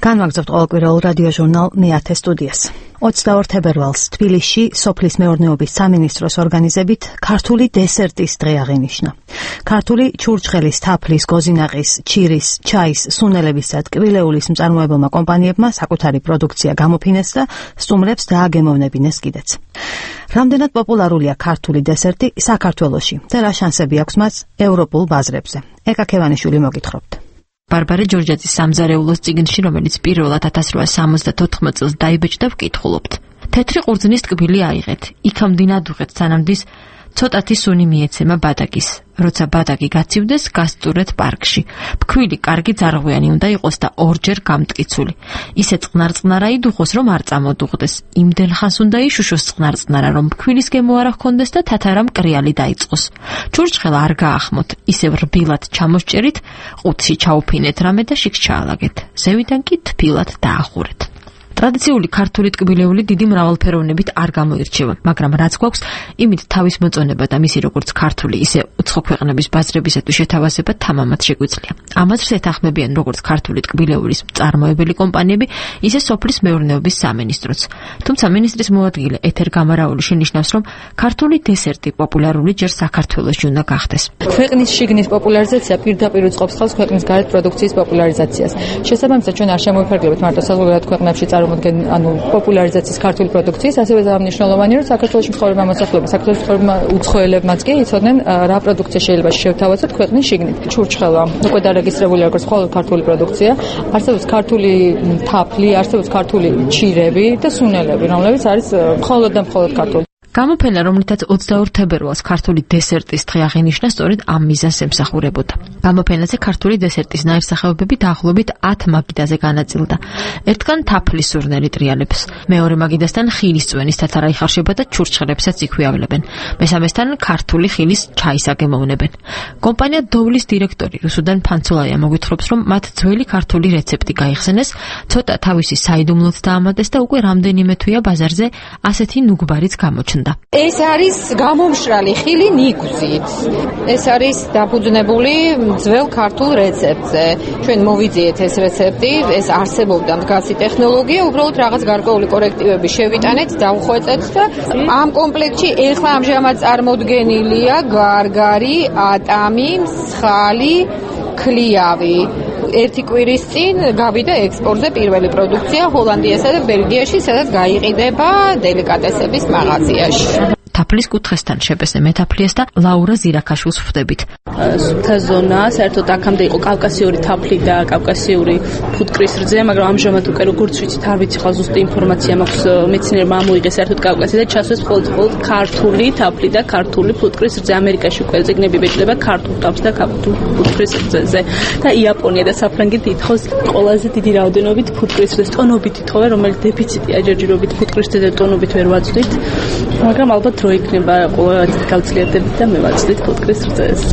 განვაგრძობთ ყოველკვირეულ რადიო ჟურნალ მე-10 სტუდიას. 22 თებერვალს თბილისში სოფლის მეურნეობის სამინისტროს ორგანიზებით ქართული დესერტის დღე აღინიშნა. ქართული ჩურჩხელის, თაფლის, გოზინაყის, ჩირის, ჩაის, სუნელების და ტკბილეულის მწარმოებელმა კომპანიებმა საკუთარი პროდუქცია გამოფინეს და სტუმრებს დააგემოვნებინეს კიდეც. რამდენად პოპულარულია ქართული დესერტი საქართველოში და რა შანსები აქვს მას ევროპულ ბაზრებზე? ეკა ქევანიშვილი მოგითხრობთ. ბარბარე ჯორჯაძის სამზარეულოს წიგნში, რომელიც პირველად 1874 წელს დაიბეჭდა, ვკითხულობთ. თეთრი ყურძნის ტკბილი აიღეთ, იქამდე უღეთ სანამ ცოტათი სუნი მიეცემა ბადაგის. როცა ბადაგი გაცივდეს, გასწურეთ პარკში. ფქვილი კარგი ძარღვიანი უნდა იყოს და ორჯერ გამტკიცული. ისე წყნარ-წყნარა იდუხოს, რომ არ წამოდუღდეს. იმდენ ხანს უნდა იშუშოს წყნარ-წყნარა, რომ ფქვილის გემო არ ჰქონდეს და თათარა მკრიალი დაიწყოს. ჩურჩხელა არ გაახმოთ, ისევ რბილად ჩამოსჭერით, ყუთში ჩაუფინეთ რამე და შიგ ჩაალაგეთ. ზევიდან კი თბილად დაახურეთ. ტრადიციული ქართული ტკბილეული დიდი მრავალფეროვნებით არ გამოირჩევა, მაგრამ რაც გვაქვს, იმით თავის მოწონება და მისი როგორც ქართული, ისე უცხო ქვეყნების ბაზრებისათვის შეთავაზება თამამად შეგვიძლია. ამას ეთანხმებიან როგორც ქართული ტკბილეულის მწარმოებელი კომპანიები, ისე სოფლის მეურნეობის სამინისტროც. თუმცა მინისტრის მოადგილე ეთერ გამარაული შენიშნავს, რომ ქართული დესერტი პოპულარული ჯერ საქართველოში უნდა გახდეს. ქვეყნის შიგნის პოპულარიზაცია პირდაპირ უწყობს ხელს ქვეყნის გარეთ პროდუქციის პოპულარიზაციას. შესაბამისად, ჩვენ არ შემოვიფარგლებთ მარტო საზღვარგარეთ ქვეყნებში წარმოდგენ, პოპულარიზაციის ქართული პროდუქციის, ასევე მნიშვნელოვანია, რომ საქართველოში მცხოვრებმა მოსახლეობამ, საქართველოს მცხოვრებმა უცხოელებმაც კი იცოდნენ, რა პროდუქცია შეიძლება შევთავაზოთ ქვეყნის შიგნით. ჩურჩხელა უკვე დარეგისტრირებულია როგორც მხოლოდ ქართული პროდუქცია, არსებობს ქართული თაფლი, არსებობს ქართული ჩირები და სუნელები, რომლებიც არის მხოლოდ და მხოლოდ ქართული. გამოფენა, რომლითაც 22 თებერვალს ქართული დესერტის დღე აღინიშნა, სწორედ ამ მიზანს ემსახურებოდა. გამოფენაზე ქართული დესერტის ნაირსახეობები დაახლოებით 10 მაგიდაზე განაწილდა. ერთგან თაფლის სურნელი ტრიალებს, მეორე მაგიდასთან ხილის წვენის თათარა იხარშება და ჩურჩხელებსაც იქვე ავლენებენ. მესამესთან ქართული ხილის ჩაის აგემოვნებენ. კომპანია დოვლის დირექტორი რუსუდან ფანცულაია მოგვითხრობს, რომ მათ ძველი ქართული რეცეპტი გაიხსენეს, ცოტა თავისი საიდუმლოც დაამატეს და უკვე რამდენიმე თვეა ბაზარზე ასეთი ნუგბარიც გამოჩნდა. ეს არის გამომშრალი ხილი ნიგზით. ეს არის დაფუძნებული ძველ ქართულ რეცეპტზე. ჩვენ მოვიძიეთ ეს რეცეპტი, ეს არსებობდა მდგაცი ტექნოლოგია, უბრალოდ რაღაც გარკვეული კორექტივები შევიტანეთ, დავხვეწეთ და ამ კომპლექტში ეხლა ამჟამად წარმოდგენილია გარგარი, ატამი, მსხალი, ქლიავი. ერთი კვირის წინ გავიდა ექსპორტზე პირველი პროდუქცია ჰოლანდიასა და ბელგიაში, სადაც გაიყიდება დელიკატესების მაღაზიაში. თაფლის კუთხესთან შებესე მეთაფლიეს და ლაურა ზირაქაშვილს ხვდებით. სუფთა ზონა, საერთოდ აქამდე იყო კავკასიური თაფლი და კავკასიური ფუტკრის რძე, მაგრამ ამჟამად უკვე როგორც ვიცით, არ ვიცი ხალხ ზუსტი ინფორმაცია მაქვს, მეცნიერმა ამოიღეს საერთოდ კავკასია და ჩასვეს მხოლოდ ქართული თაფლი და ქართული ფუტკრის რძე. ამერიკაში უკვე ზეგნები ბეჭდება ქართულ თაფლს და ქართულ ფუტკრის რძეზე. და იაპონია და საფრანგეთი ითხოვს ყველაზე დიდი რაოდენობით ფუტკრის რძეს, ტონობით ითხოვენ, რომელიც დეფიციტია ჯერჯერობით ფუტკრის რძეზე ტონობით ვერ ვაწვდით, მაგრამ ალბათ რო იქნება ყველა გავძლიერდებით და მე ვაწვდით ფუტკრის რძეს.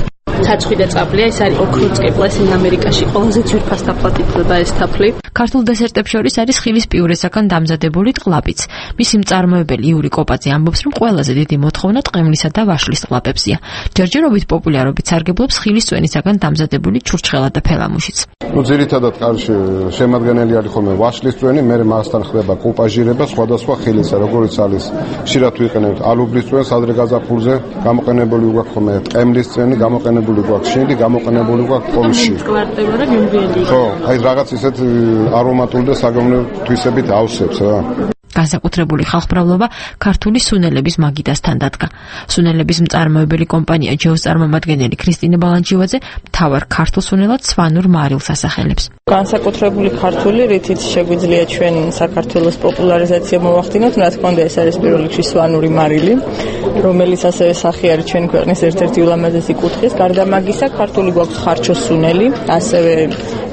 ცაცხვი და წაბლია, ეს არის ოქროწყებლა, ეს ამერიკაში ყველაზე ძვირფას თაფლად ითვლება ეს თაფლი. ქართულ დესერტებს შორის არის ხილის პიურესაგან დამზადებული ტყლაპიც. მისი მწარმოებელი იური კოპაძე ამბობს, რომ ყველაზე დიდი მოთხოვნა ტყემლისა და ვაშლის ტყლაპებზია. ჯერჯერობით პოპულარობით სარგებლობს ხილის წვენისაგან დამზადებული ჩურჩხელა და ფელამუშიც. ძირითადად კარში შემადგენელი არის ხოლმე ვაშლის წვენი, მე მასთან ხდება კოპაჟირება სხვადასხვა ხილისა, როგორც არის ხშირად ვიყენებთ ალუბლის წვენს, ადრე გაზაფხულზე გამოყენებული გვაქვს ხოლმე ტყემლის წვენი, გამოყენებული გვაქვს შინდი, გამოყენებული გვაქვს პოლში. ხო, აი რაღაც ისეთ არომატული და საგამონო თვისებით ავსებს რა. განსაკუთრებული ხალხმრავლობა ქართული სუნელების მაგიდასთან დადგა. სუნელების მწარმოებელი კომპანია ჯეოს წარმომადგენელი ქრისტინე ბალანჩივაძე მთავარ ქართულ სუნელად სვანურ მარილს ასახელებს. განსაკუთრებული ქართული, რითიც შეგვიძლია ჩვენ საქართველოს პოპულარიზაცია მოვახდინოთ, რა თქმა უნდა, ეს არის პირველ რიგში სვანური მარილი, რომელიც ასევე სახი არის ჩვენი ქვეყნის ერთ-ერთი ულამაზესი კუთხის. გარდა მაგისა, ქართული გვაქვს ხარჩო სუნელი, ასევე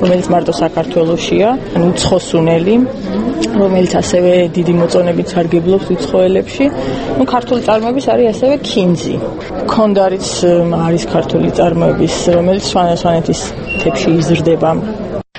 რომელიც მარტო საქართველოშია, ანუ უცხო სუნელი, რომელიც ასევე დიდი მოწონებით სარგებლობს უცხოელებში. ნუ ქართული წარმოების არის ასევე ქინძი. ქონდარიც არის ქართული წარმოების, რომელიც სვანეთის მთებში იზრდება.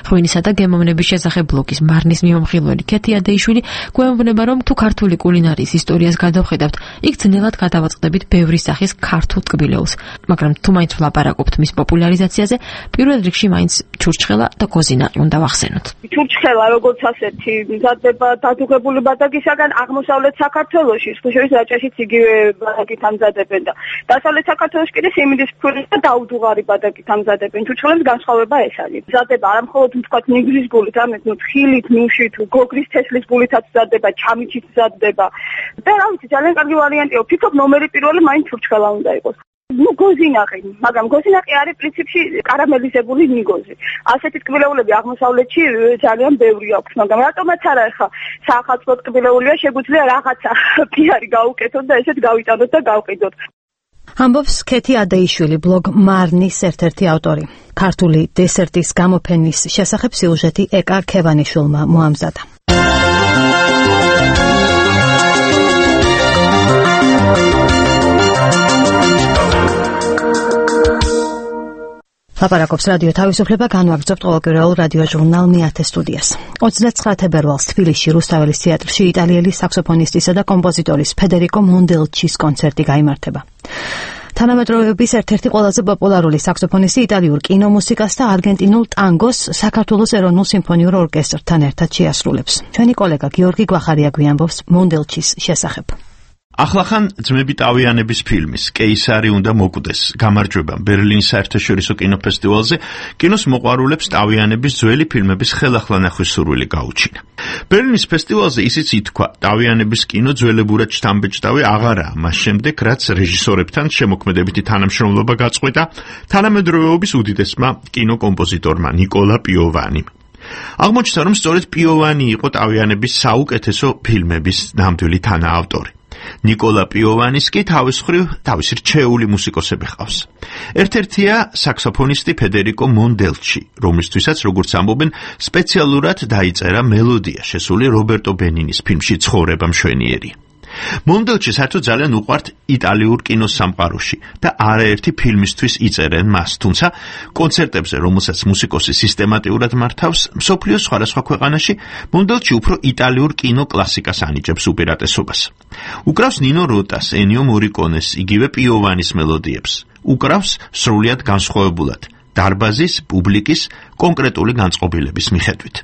ღვინისა და გემოვნების შესახებ ბლოგის მარნის მიმომხილველი ქეთი ადეიშვილი გვეუბნება, რომ თუ ქართული კულინარიის ისტორიას გადავხედავთ, იქ ძნელად გადავაწყდებით ბევრი სახის ქართულ ტკბილეულს, მაგრამ თუ მაინც ვლაპარაკობთ მის პოპულარიზაციაზე, პირველ რიგში მაინც ჩურჩხელა და გოზინაყი უნდა ვახსენოთ. ჩურჩხელა როგორც ასეთი მზადდება დადუღებული ბადაგისაგან აღმოსავლეთ საქართველოში, ხუშევის რაჭაშიც იგივე ბადაგით ამზადებენ და დასავლეთ საქართველოში კიდე სიმინდის ფქვილის და დაუდუღარი ბადაგით ამზადებენ. ჩურჩხელების განსხვავება ეს არის. მზადდება არა მხოლოდ თქვათ ნიგრის გულით, ამეთ ხილით, ნუშით, გოგრის თესლის გულითაც მზადდება, ჩამიჩით მზადდება. და რა ვიცი, ძალიან კარგი ვარიანტია. ვფიქრობ, ნომერი პირველი მაინც ჩურჩხელა უნდა იყოს. ნუ გოზინაყი, მაგრამ გოზინაყი არის პრინციპში კარამელიზებული ნიგოზი. ასეთი ტკბილეულები აღმოსავლეთში ძალიან ბევრი აქვს, მაგრამ რატომაც არა ახლა საახალწლო ტკბილეულია, შეგვიძლია რაღაცა პიარი გაუკეთოთ და ესეთ გავიტანოთ და გავყიდოთ. ამბობს ქეთი ადეიშვილი, ბლოგ მარნის ერთ-ერთი ავტორი. ქართული დესერტის გამოფენის შესახებ სიუჟეტი ეკა ქევანიშვილმა მოამზადა. ლაპარაკობს რადიო თავისუფლება, განვაგრძობთ ყოველკვირეულ რადიო ჟურნალ მეათე სტუდიას. 29 თებერვალს თბილისში რუსთაველის თეატრში იტალიელი საქსოფონისტისა და კომპოზიტორის ფედერიკო მონდელჩის კონცერტი გაიმართება. თანამედროვეობის ერთ-ერთი ყველაზე პოპულარული საქსოფონისტი იტალიურ კინომუსიკას და არგენტინულ ტანგოს საქართველოს ეროვნულ სიმფონიურ ორკესტრთან ერთად შეასრულებს. ჩვენი კოლეგა გიორგი გვახარია გვიამბობს მონდელჩის შესახებ. ახლახან ძმები ტავიანების ფილმის კეისარი უნდა მოკვდეს გამარჯვება ბერლინის საერთაშორისო კინოფესტივალზე კინოს მოყვარულებს ტავიანების ძველი ფილმების ხელახლა ნახვის სურვილი გაუჩინა. ბერლინის ფესტივალზე ისიც ითქვა, ტავიანების კინო ძველებურად შთამბეჭდავი აღარაა მას შემდეგ, რაც რეჟისორებთან შემოქმედებითი თანამშრომლობა გაწყვეტა თანამედროვეობის უდიდესმა კინოკომპოზიტორმა ნიკოლა პიოვანიმ. აღმოჩნდა, რომ სწორედ პიოვანი იყო ტავიანების საუკეთესო ფილმების ნამდვილი თანაავტორი. ნიკოლა პიოვანის კი თავის მხრივ თავისი რჩეული მუსიკოსები ჰყავს. ერთ-ერთია საქსოფონისტი ფედერიკო მონდელჩი, რომლისთვისაც, როგორც ამბობენ, სპეციალურად დაიწერა მელოდია შესული რობერტო ბენინის ფილმში ცხოვრება მშვენიერია. მონდელჩი საერთოდ ძალიან უყვართ იტალიურ კინოს სამყაროში და არაერთი ფილმისთვის იწერენ მას, თუმცა კონცერტებზე, რომელსაც მუსიკოსი სისტემატიურად მართავს, მსოფლიოს სხვადასხვა ქვეყანაში მონდელჩი უფრო იტალიურ კინო კლასიკას ანიჭებს უპირატესობას. უკრავს ნინო როტას, ენიო მორიკონეს, იგივე პიოვანის მელოდიებს. უკრავს სრულიად განსხვავებულად, დარბაზის, პუბლიკის, კონკრეტული განწყობილების მიხედვით.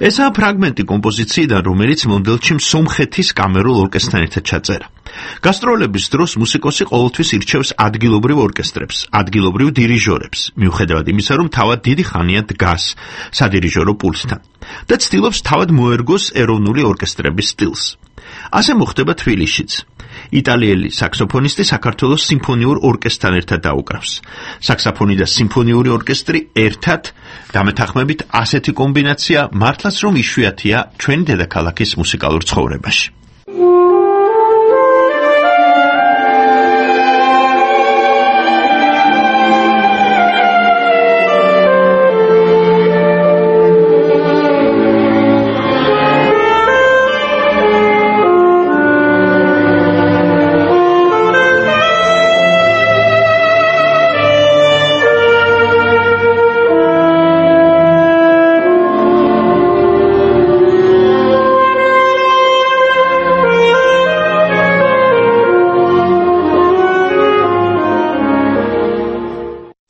ესაა ფრაგმენტი კომპოზიციიდან, რომელიც მონდელჩიმ სომხეთის კამერულ ორკესტრთან ერთად ჩაწერა. გასტროლების დროს მუსიკოსი ყოველთვის ირჩევს ადგილობრივ ორკესტრებს, ადგილობრივ დირიჟორებს, მიუხედავად იმისა, რომ თავად დიდი ხანია დგას სადირიჟორო პულტთან და ცდილობს თავად მოერგოს ეროვნული ორკესტრების სტილს. ასე მოხდება თბილისშიც. იტალიელი საქსოფონისტი საქართველოს სიმფონიურ ორკესტრთან ერთად დაუკრავს. საქსოფონი და სიმფონიური ორკესტრი ერთად დამეთანხმებით ასეთი კომბინაცია მართლაც რომ იშვიათია ჩვენი დედაქალაქის მუსიკალურ ცხოვრებაში.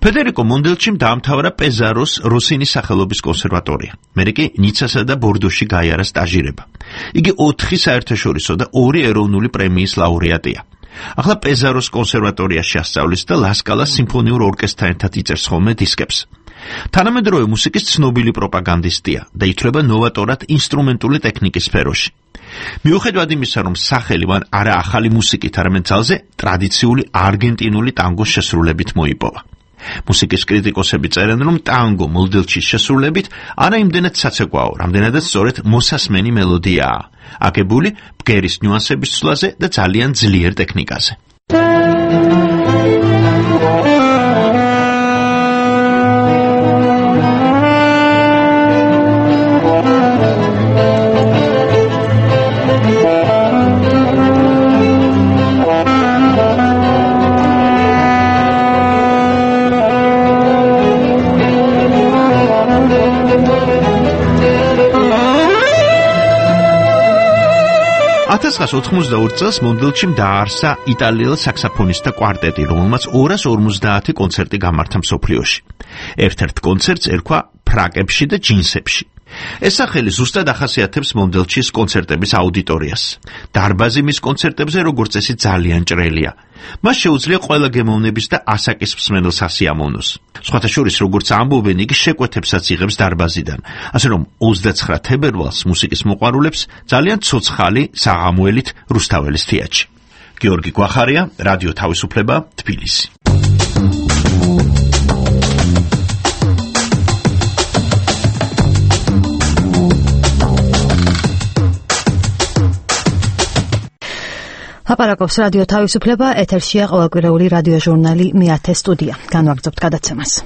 ფედერიკო მონდელჩიმ დაამთავრა პეზაროს როსინის სახელობის კონსერვატორია. მერე კი ნიცასა და ბორდოში გაიარა სტაჟირება. იგი 4 საერთაშორისო და 2 ეროვნული პრემიის ლაურეატია. ახლა პეზაროს კონსერვატორიაში ასწავლის და ლასკალას სიმფონიურ ორკესტრთან ერთად იწერს ხოლმე დისკებს. თანამედროვე მუსიკის ცნობილი პროპაგანდისტია და ითვლება ნოვატორად ინსტრუმენტული ტექნიკის სფეროში. მიუხედავად იმისა, რომ სახელი მან არა ახალი მუსიკით, არამედ ძალზე ტრადიციული არგენტინული ტანგოს შესრულებით მოიპოვა. მუსიკის კრიტიკოსები წერენ, რომ ტანგო მონდელჩის შესრულებით არა იმდენად საცეკვაო, რამდენადაც სწორედ მოსასმენი მელოდიაა, აგებული ბგერის ნიუანსების ცვლაზე და ძალიან ძლიერ ტექნიკაზე. ათას 1992 წელს მონდელჩიმ დაარსა იტალიელ საქსოფონისტთა კვარტეტი, რომელმაც 250 კონცერტი გამართა მსოფლიოში. ერთ-ერთ კონცერტს ერქვა ფრაკებში და ჯინსებში. ეს სახელი ზუსტად ახასიათებს მონდელჩის კონცერტების აუდიტორიას. დარბაზი მის კონცერტებზე როგორც წესი ძალიან ჭრელია. მას შეუძლია ყველა გემოვნების და ასაკის მსმენელს ასიამოვნოს. სხვათა შორის, როგორც ამბობენ, იგი შეკვეთებსაც იღებს დარბაზიდან, ასე რომ 29 თებერვალს მუსიკის მოყვარულებს ძალიან ცოცხალი საღამოელით რუსთაველის თეატრში. გიორგი გვახარია, რადიო თავისუფლება, თბილისი. ლაპარაკობს რადიო თავისუფლება, ეთერშია ყოველკვირეული რადიო ჟურნალი მე-10 სტუდია. განვაგრძობთ გადაცემას.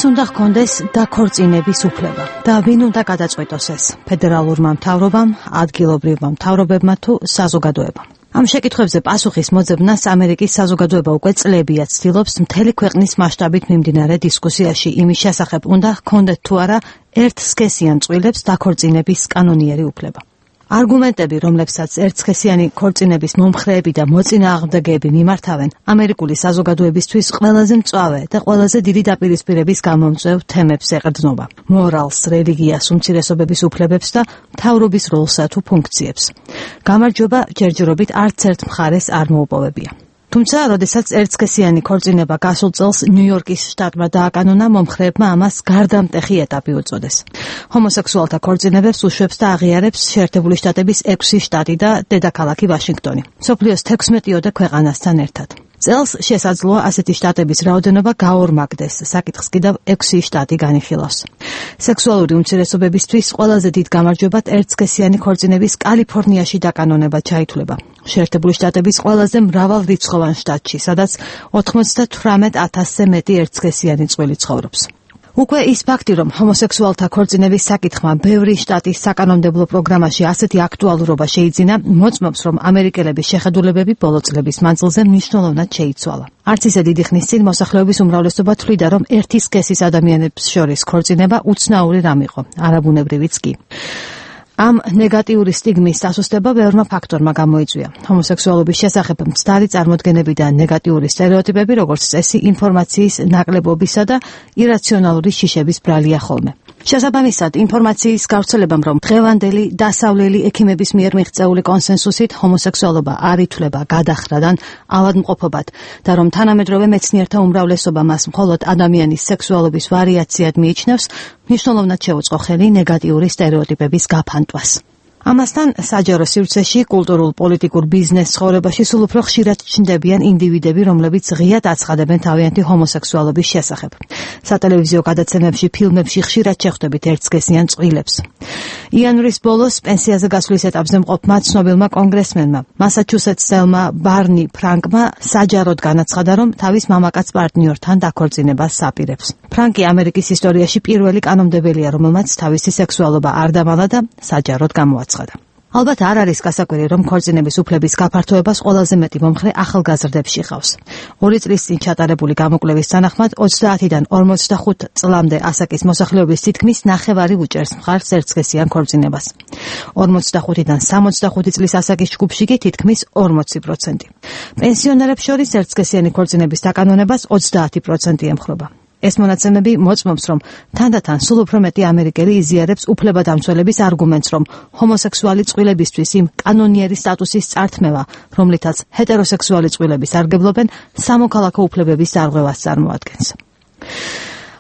ვის უნდა ჰქონდეს დაქორწინების უფლება და ვინ უნდა გადაწყვეტოს ეს ფედერალურმა მთავრობამ, ადგილობრივმა მთავრობებმა თუ საზოგადოებამ? ამ შეკითხვებზე პასუხის მოძებნას ამერიკის საზოგადოება უკვე წლებია ცდილობს მთელი ქვეყნის მასშტაბით მიმდინარე დისკუსიაში იმის შესახებ, უნდა ჰქონდეთ თუ არა ერთსქესიან წყვილებს დაქორწინების კანონიერი უფლება. არგუმენტები, რომლებსაც ერთსქესიანი ქორწინების მომხრეები და მოწინააღმდეგეები მიმართავენ, ამერიკული საზოგადოებისთვის ყველაზე მწვავე და ყველაზე დიდი დაპირისპირების გამომწვევ თემებს ეყრდნობა. მორალს, რელიგიას, უმცირესობების უფლებებს და მთავრობის როლსა თუ ფუნქციებს. გამარჯვება ჯერჯერობით არც ერთ მხარეს არ მოუპოვებია. თუმცა, როდესაც ერთსქესიანი ქორწინება გასულ წელს ნიუ-იორკის შტატმა დააკანონა, მომხრეებმა ამას გარდამტეხი ეტაპი უწოდეს. ჰომოსექსუალთა ქორწინებებს უშვებს და აღიარებს შეერთებული შტატების 6 შტატი და დედაქალაქი ვაშინგტონი, მსოფლიოს 16-ოდე ქვეყანასთან ერთად. წელს შესაძლოა ასეთი შტატების რაოდენობა გაორმაგდეს, საკითხს კიდევ 6 შტატი განიხილავს. სექსუალური უმცირესობებისთვის ყველაზე დიდ გამარჯვებად ერთსქესიანი ქორწინების კალიფორნიაში დაკანონება ჩაითვლება. შეერთებული შტატების ყველაზე მრავალრიცხოვან შტატში, სადაც 98,000-ზე მეტი ერთსქესიანი წყვილი ცხოვრობს. უკვე ის ფაქტი, რომ ჰომოსექსუალთა ქორწინების საკითხმა ბევრი შტატის საკანონმდებლო პროგრამაში ასეთი აქტუალურობა შეიძინა, მოწმობს, რომ ამერიკელების შეხედულებები ბოლო წლების მანძილზე მნიშვნელოვნად შეიცვალა. არც ისე დიდი ხნის წინ მოსახლეობის უმრავლესობა თვლიდა, რომ ერთი სქესის ადამიანებს შორის ქორწინება უცნაური რამ იყო, არაბუნებრივიც კი. ამ ნეგატიური სტიგმის დასუსტება ბევრმა ფაქტორმა გამოიწვია. ჰომოსექსუალობის შესახებ მცდარი წარმოდგენები და ნეგატიური სტერეოტიპები, როგორც წესი, ინფორმაციის ნაკლებობისა და ირაციონალური შიშების ბრალია ხოლმე. შესაბამისად, ინფორმაციის გავრცელებამ, რომ დღევანდელი დასავლელი ექიმების მიერ მიღწეული კონსენსუსით ჰომოსექსუალობა არ ითვლება გადახრადან ავადმყოფობად და რომ თანამედროვე მეცნიერთა უმრავლესობა მას მხოლოდ ადამიანის სექსუალობის ვარიაციად მიიჩნევს, მნიშვნელოვნად შეუწყო ხელი ნეგატიური სტერეოტიპების გაფანტვას. ამასთან საჯარო სივრცეში, კულტურულ, პოლიტიკურ, ბიზნეს ცხოვრებაში სულ უფრო ხშირად ჩნდებიან ინდივიდები, რომლებიც ღიად აცხადებენ თავიანთი ჰომოსექსუალობის შესახებ. სატელევიზიო გადაცემებში, ფილმებში ხშირად შეხვდებით ერთსქესიან წყვილებს. იანვრის ბოლოს პენსიაზე გასვლის ეტაპზე მყოფმა ცნობილმა კონგრესმენმა, მასაჩუსეტსელმა ბარნი ფრანკმა საჯაროდ განაცხადა, რომ თავის მამაკაც პარტნიორთან დაქორწინებას აპირებს. ფრანკი ამერიკის ისტორიაში პირველი კანონმდებელია, რომელმაც თავისი სექსუალობა არ დამალა და საჯაროდ გამოაცხადა. ალბათ არ არის გასაკვირი, რომ ქორწინების უფლების გაფართოებას ყველაზე მეტი მომხრე ახალგაზრდებში ყავს. 2 წლის წინ ჩატარებული გამოკვლევის თანახმად 30-დან 45 წლამდე ასაკის მოსახლეობის თითქმის ნახევარი უჭერს მხარს ერთსქესიან ქორწინებას. 45-დან 65 წლის ასაკის ჯგუფში კი თითქმის 40%. პენსიონერებს შორის ერთსქესიანი ქორწინების დაკანონებას 30% ემხრობა. ეს მონაცემები მოწმობს, რომ თანდათან სულ უფრო მეტი ამერიკელი იზიარებს უფლებადამცველების არგუმენტს, რომ ჰომოსექსუალი წყვილებისთვის იმ კანონიერი სტატუსის წართმევა, რომლითაც ჰეტეროსექსუალი წყვილები სარგებლობენ, სამოქალაქო უფლებების დარღვევას წარმოადგენს.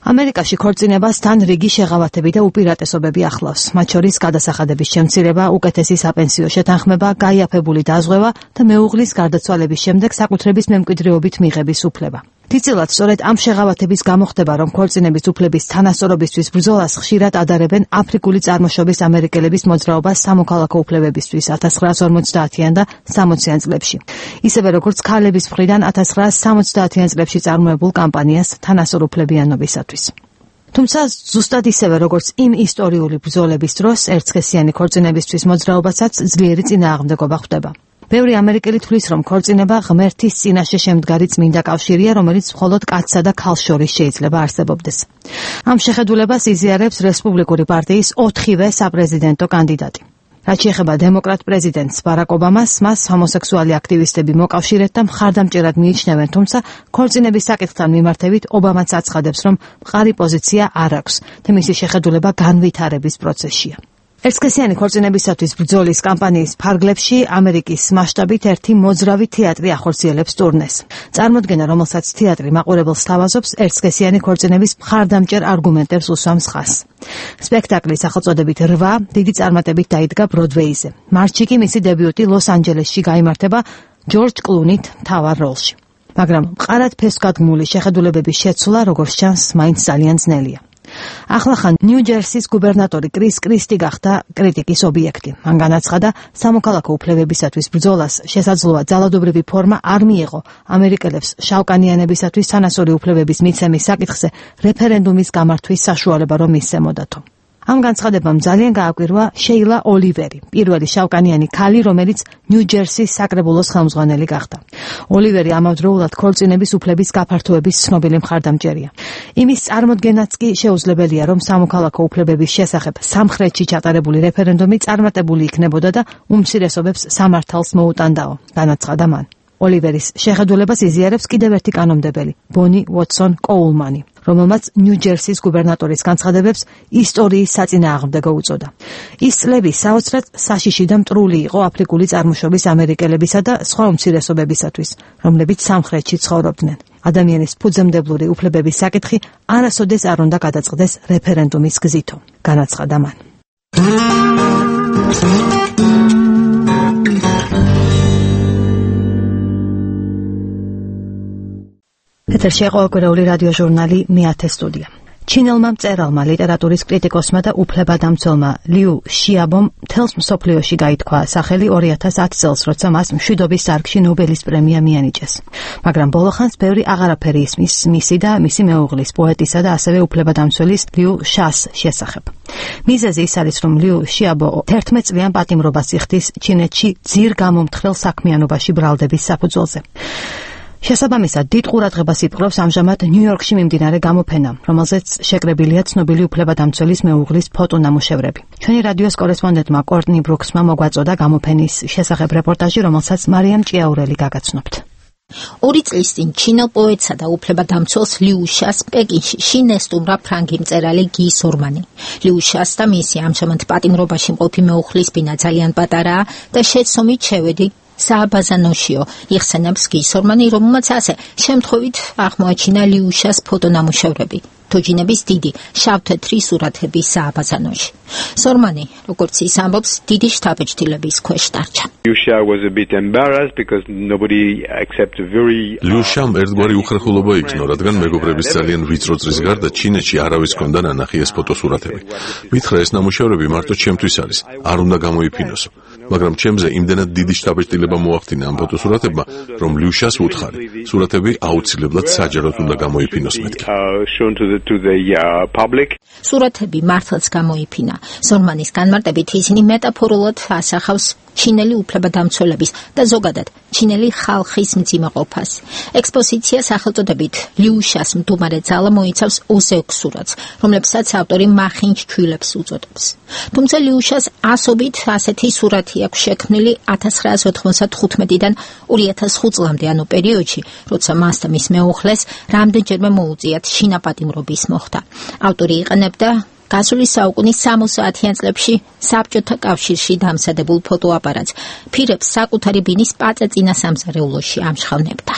ამერიკაში ქორწინებას თან რიგი შეღავათები და უპირატესობები ახლავს, მათ შორის გადასახადების შემცირება, უკეთესი საპენსიო შეთანხმება, გაიაფებული დაზღვევა და მეუღლის გარდაცვალების შემდეგ საკუთრების მემკვიდრეობით მიღების უფლება. თითქოს სწორედ ამ შეღავათების გამო ხდება, რომ ქორწინების უფლების თანასწორობისთვის ბრძოლას ხშირად ადარებენ აფრიკული წარმოშობის ამერიკელების მოძრაობას სამოქალაქო უფლებებისთვის 1950-იან და 60-იან წლებში. ისევე როგორც ქალების მხრიდან 1970-იან წლებში წარმოებულ კამპანიას თანასწორუფლებიანობისათვის. თუმცა ზუსტად ისევე როგორც იმ ისტორიული ბრძოლების დროს ერთსქესიანი ქორწინებისთვის მოძრაობასაც ძლიერი წინააღმდეგობა ხვდება. ბევრი ამერიკელი თვლის, რომ ქორწინება ღმერთის წინაშე შემდგარი წმინდა კავშირია, რომელიც მხოლოდ კაცსა და ქალს შორის შეიძლება არსებობდეს. ამ შეხედულებას იზიარებს რესპუბლიკური პარტიის 4-ვე საპრეზიდენტო კანდიდატი. რაც შეეხება დემოკრატ პრეზიდენტს ბარაკ ობამას, მას ჰომოსექსუალი აქტივისტები მოკავშირედ და მხარდამჭერად მიიჩნევენ, თუმცა ქორწინების საკითხთან მიმართებით ობამაც აცხადებს, რომ მყარი პოზიცია არ აქვს და მისი შეხედულება განვითარების პროცესშია. ერთსქესიანი ქორწინებისათვის ბრძოლის კამპანიის ფარგლებში ამერიკის მასშტაბით ერთი მოძრავი თეატრი ახორციელებს ტურნეს. წარმოდგენა, რომელსაც თეატრი მაყურებელს თავაზობს, ერთსქესიანი ქორწინების მხარდამჭერ არგუმენტებს უსვამს ხაზს. სპექტაკლი სახელწოდებით 8 დიდი წარმატებით დაიდგა ბროდვეიზე. მარტში კი მისი დებიუტი ლოს-ანჯელესში გაიმართება ჯორჯ კლუნით მთავარ როლში. მაგრამ მყარად ფესვგადგმული შეხედულებების შეცვლა, როგორც ჩანს, მაინც ძალიან ძნელია. ახლახან ნიუ-ჯერსის გუბერნატორი კრის კრისტი გახდა კრიტიკის ობიექტი. მან განაცხადა, სამოქალაქო უფლებებისათვის ბრძოლას შესაძლოა ძალადობრივი ფორმა არ მიეღო ამერიკელებს შავკანიანებისათვის თანასწორი უფლებების მიცემის საკითხზე რეფერენდუმის გამართვის საშუალება რომ მისცემოდათო. ამ განცხადებამ ძალიან გააკვირვა შეილა ოლივერი, პირველი შავკანიანი ქალი, რომელიც ნიუ-ჯერსის საკრებულოს ხელმძღვანელი გახდა. ოლივერი ამავდროულად ქორწინების უფლების გაფართოების ცნობილი მხარდამჭერია. იმის წარმოდგენაც კი შეუძლებელია, რომ სამოქალაქო უფლებების შესახებ სამხრეთში ჩატარებული რეფერენდუმი წარმატებული იქნებოდა და უმცირესობებს სამართალს მოუტანდაო, განაცხადა მან. ოლივერის შეხედულებას იზიარებს კიდევ ერთი კანონმდებელი, ბონი უოტსონ კოულმანი, რომელმაც ნიუ-ჯერსის გუბერნატორის განცხადებებს ისტორიის საწინააღმდეგო უწოდა. ის წლები საოცრად საშიში და მტრული იყო აფრიკული წარმოშობის ამერიკელებისა და სხვა უმცირესობებისათვის, რომლებიც სამხრეთში ცხოვრობდნენ. ადამიანის ფუძემდებლური უფლებების საკითხი არასოდეს არ უნდა გადაწყდეს რეფერენდუმის გზითო, განაცხადა მან. ეთერში ყოველკვირეული რადიო ჟურნალი მე-10 სტუდია. ჩინელმა მწერალმა, ლიტერატურის კრიტიკოსმა და უფლებადამცველმა ლიუ შიაბომ მთელს მსოფლიოში გაითქვა სახელი 2010 წელს, როცა მას მშვიდობის დარგში ნობელის პრემია მიანიჭეს. მაგრამ ბოლოხანს ბევრი აღარაფერი ისმის მისი და მისი მეუღლის, პოეტისა და ასევე უფლებადამცველის ლიუ შას შესახებ. მიზეზი ის არის, რომ ლიუ შიაბო 11 წლიან პატიმრობას იხდის ჩინეთში ძირ გამომთხრელ საქმიანობაში ბრალდების საფუძველზე. შესაბამისად, დიდ ყურადღებას იპყრობს ამჟამად ნიუ-იორკში მიმდინარე გამოფენა, რომელზეც შეკრებილია ცნობილი უფლებადამცველის მეუღლის ფოტონამუშევრები. ჩვენი რადიოს კორესპონდენტმა კორტნი ბრუქსმა მოგვაწოდა გამოფენის შესახებ რეპორტაჟი, რომელსაც მარიამ ჭიაურელი გაგაცნობთ. 2 წლის წინ ჩინელ პოეტსა და უფლებადამცველს ლიუ შას პეკინში შინესტუმრა ფრანგი მწერალი გი სორმანი. ლიუ შას და მისი ამჟამად პატიმრობაში მყოფი მეუღლის ბინა ძალიან პატარაა და შეცდომით შევედი სააბაზანოშიო იხსენებს გი სორმანი, რომელმაც ასე შემთხვევით აღმოაჩინა ლიუ შას ფოტონამუშევრები. თოჯინების დიდი შავ-თეთრი სურათები სააბაზანოში. სორმანი, როგორც ის ამბობს, დიდი შთაბეჭდილების ქვეშ დარჩა. ლიუშამ ერთგვარი უხერხულობა იქნო, რადგან მეგობრების ძალიან ვიწრო წრის გარდა ჩინეთში არავის ჰქონდა ნანახი ეს ფოტოსურათები. მითხრა, ეს ნამუშევრები მარტო ჩემთვის არის, არ უნდა გამოიფინოსო. მაგრამ ჩემზე იმდენად დიდი შთაბეჭდილება მოახდინა ამ ფოტოსურათებმა, რომ ლიუშას ვუთხარი, სურათები აუცილებლად საჯაროდ უნდა გამოიფინოს მეთქი. სურათები მართლაც გამოიფინა. სორმანის განმარტებით ისინი მეტაფორულად ასახავს ჩინელი უფლებადამცველების და ზოგადად ჩინელი ხალხის მძიმეყოფას. ექსპოზიცია სახელწოდებით ლიუ შას მდუმარე ძალა მოიცავს 26 სურათს, რომლებსაც ავტორი მახინჯ ჩვილებს უწოდებს. თუმცა ლიუ შას ასობით ასეთი სურათი აქვს შექმნილი 1995-დან 2005 წლამდე, ანუ პერიოდში, როცა მას და მის მეუღლეს რამდენჯერმე მოუწიათ შინაპატიმრობის მოხდა. ავტორი იყენებდა გასული საუკუნის 60-იან წლებში საბჭოთა კავშირში დამზადებულ ფოტოაპარატს. ფირებს საკუთარი ბინის პაწეწინა სამზარეულოში ამშხავნებდა.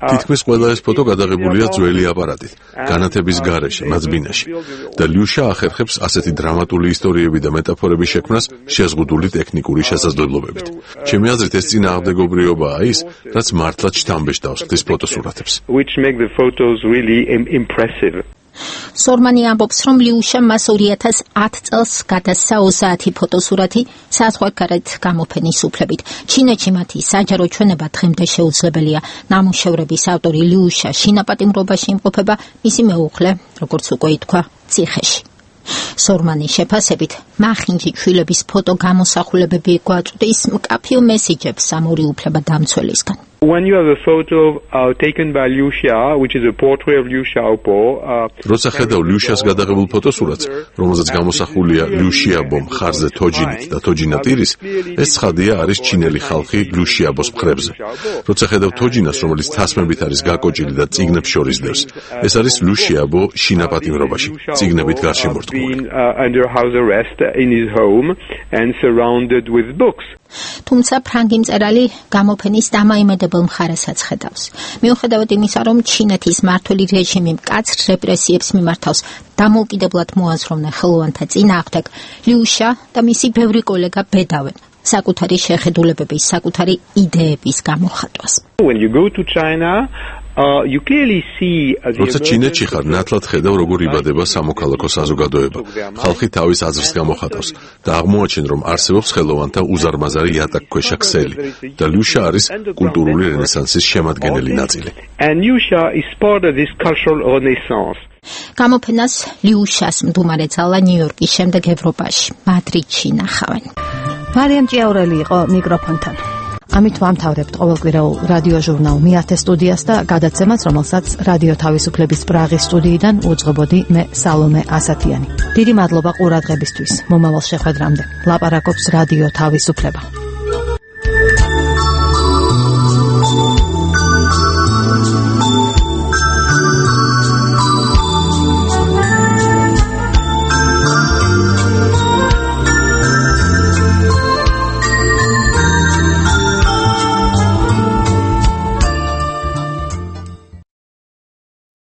თითქმის ყველა ეს ფოტო გადაღებულია ძველი აპარატით, განათების გარეშე, მათ ბინაში. და ლიუშა ახერხებს ასეთი დრამატული ისტორიები და მეტაფორების შექმნას შეზღუდული ტექნიკური შესაძლებლობებით. ჩემი აზრით, ეს წინააღმდეგობრიობაა ის, რაც მართლაც შთამბეჭდავს ხდის ფოტოსურათებს. სორმანი ამბობს, რომ ლიუშამ მას 2010 წელს გადასცა 30 ფოტოსურათი საზღვარგარეთ გამოფენის უფლებით. ჩინეთში მათი საჯარო ჩვენება დღემდე შეუძლებელია. ნამუშევრების ავტორი ლიუშა შინაპატიმრობაში იმყოფება, მისი მეუღლე, როგორც უკვე ითქვა, ციხეში. სორმანის შეფასებით, მახინჯი ჩვილების ფოტო გამოსახულებები გვაწვდის მკაფიო მესიჯებს ამ ორი უფლებადამცველისგან. When you have a photo taken by Liu Xia, which is a portrait of Liu Xiaobo, როცა ხედავ liu xia's გადაღებულ ფოტოსურათს, რომელზეც გამოსახულია liu xiaobo მხარზე თოჯინით და თოჯინა ტირის, ეს ცხადია არის ჩინელი ხალხი liu xiaobos მხრებზე. როცა ხედავ თოჯინას, რომელიც თასმებით არის გაკოჭილი და წიგნებს შორის დევს, ეს არის liu xiaobo შინაპატიმრობაში, წიგნებით გარშემორტყმული. Under house arrest in his home and surrounded with books. თუმცა ფრანგი მწერალი გამოფენის დამაიმედებელ მხარესაც ხედავს. მიუხედავად იმისა, რომ ჩინეთის მმართველი რეჟიმი მკაცრ რეპრესიებს მიმართავს, დამოუკიდებლად მოაზროვნე ხელოვანთა წინააღმდეგ, liu xia და მისი ბევრი კოლეგა ბედავენ საკუთარი შეხედულებების, საკუთარი იდეების გამოხატვას. When you go to China, you clearly see როცა ჩინეთში ხარ, ნათლად ხედავ როგორ იბადება სამოქალაქო საზოგადოება. ხალხი თავის აზრს გამოხატავს და აღმოაჩენ, რომ არსებობს ხელოვანთა უზარმაზარი იატაკქვეშა ქსელი და liu xia არის კულტურული რენესანსის შემადგენელი ნაწილი. And Liu Xia is part of this cultural renaissance. გამოფენას liu xia's მდუმარე ძალა ნიუ-იორკის შემდეგ ევროპაში, მადრიდში ნახავენ. მარიამ ჭიაურელი იყო მიკროფონთან. ამით ვამთავრებთ ყოველკვირეულ რადიო ჟურნალ მეათე სტუდიას და გადაცემას, რომელსაც რადიო თავისუფლების პრაღის სტუდიიდან უძღვებოდი მე სალომე ასათიანი. დიდი მადლობა ყურადღებისთვის. მომავალ შეხვედრამდე. ლაპარაკობს რადიო თავისუფლება.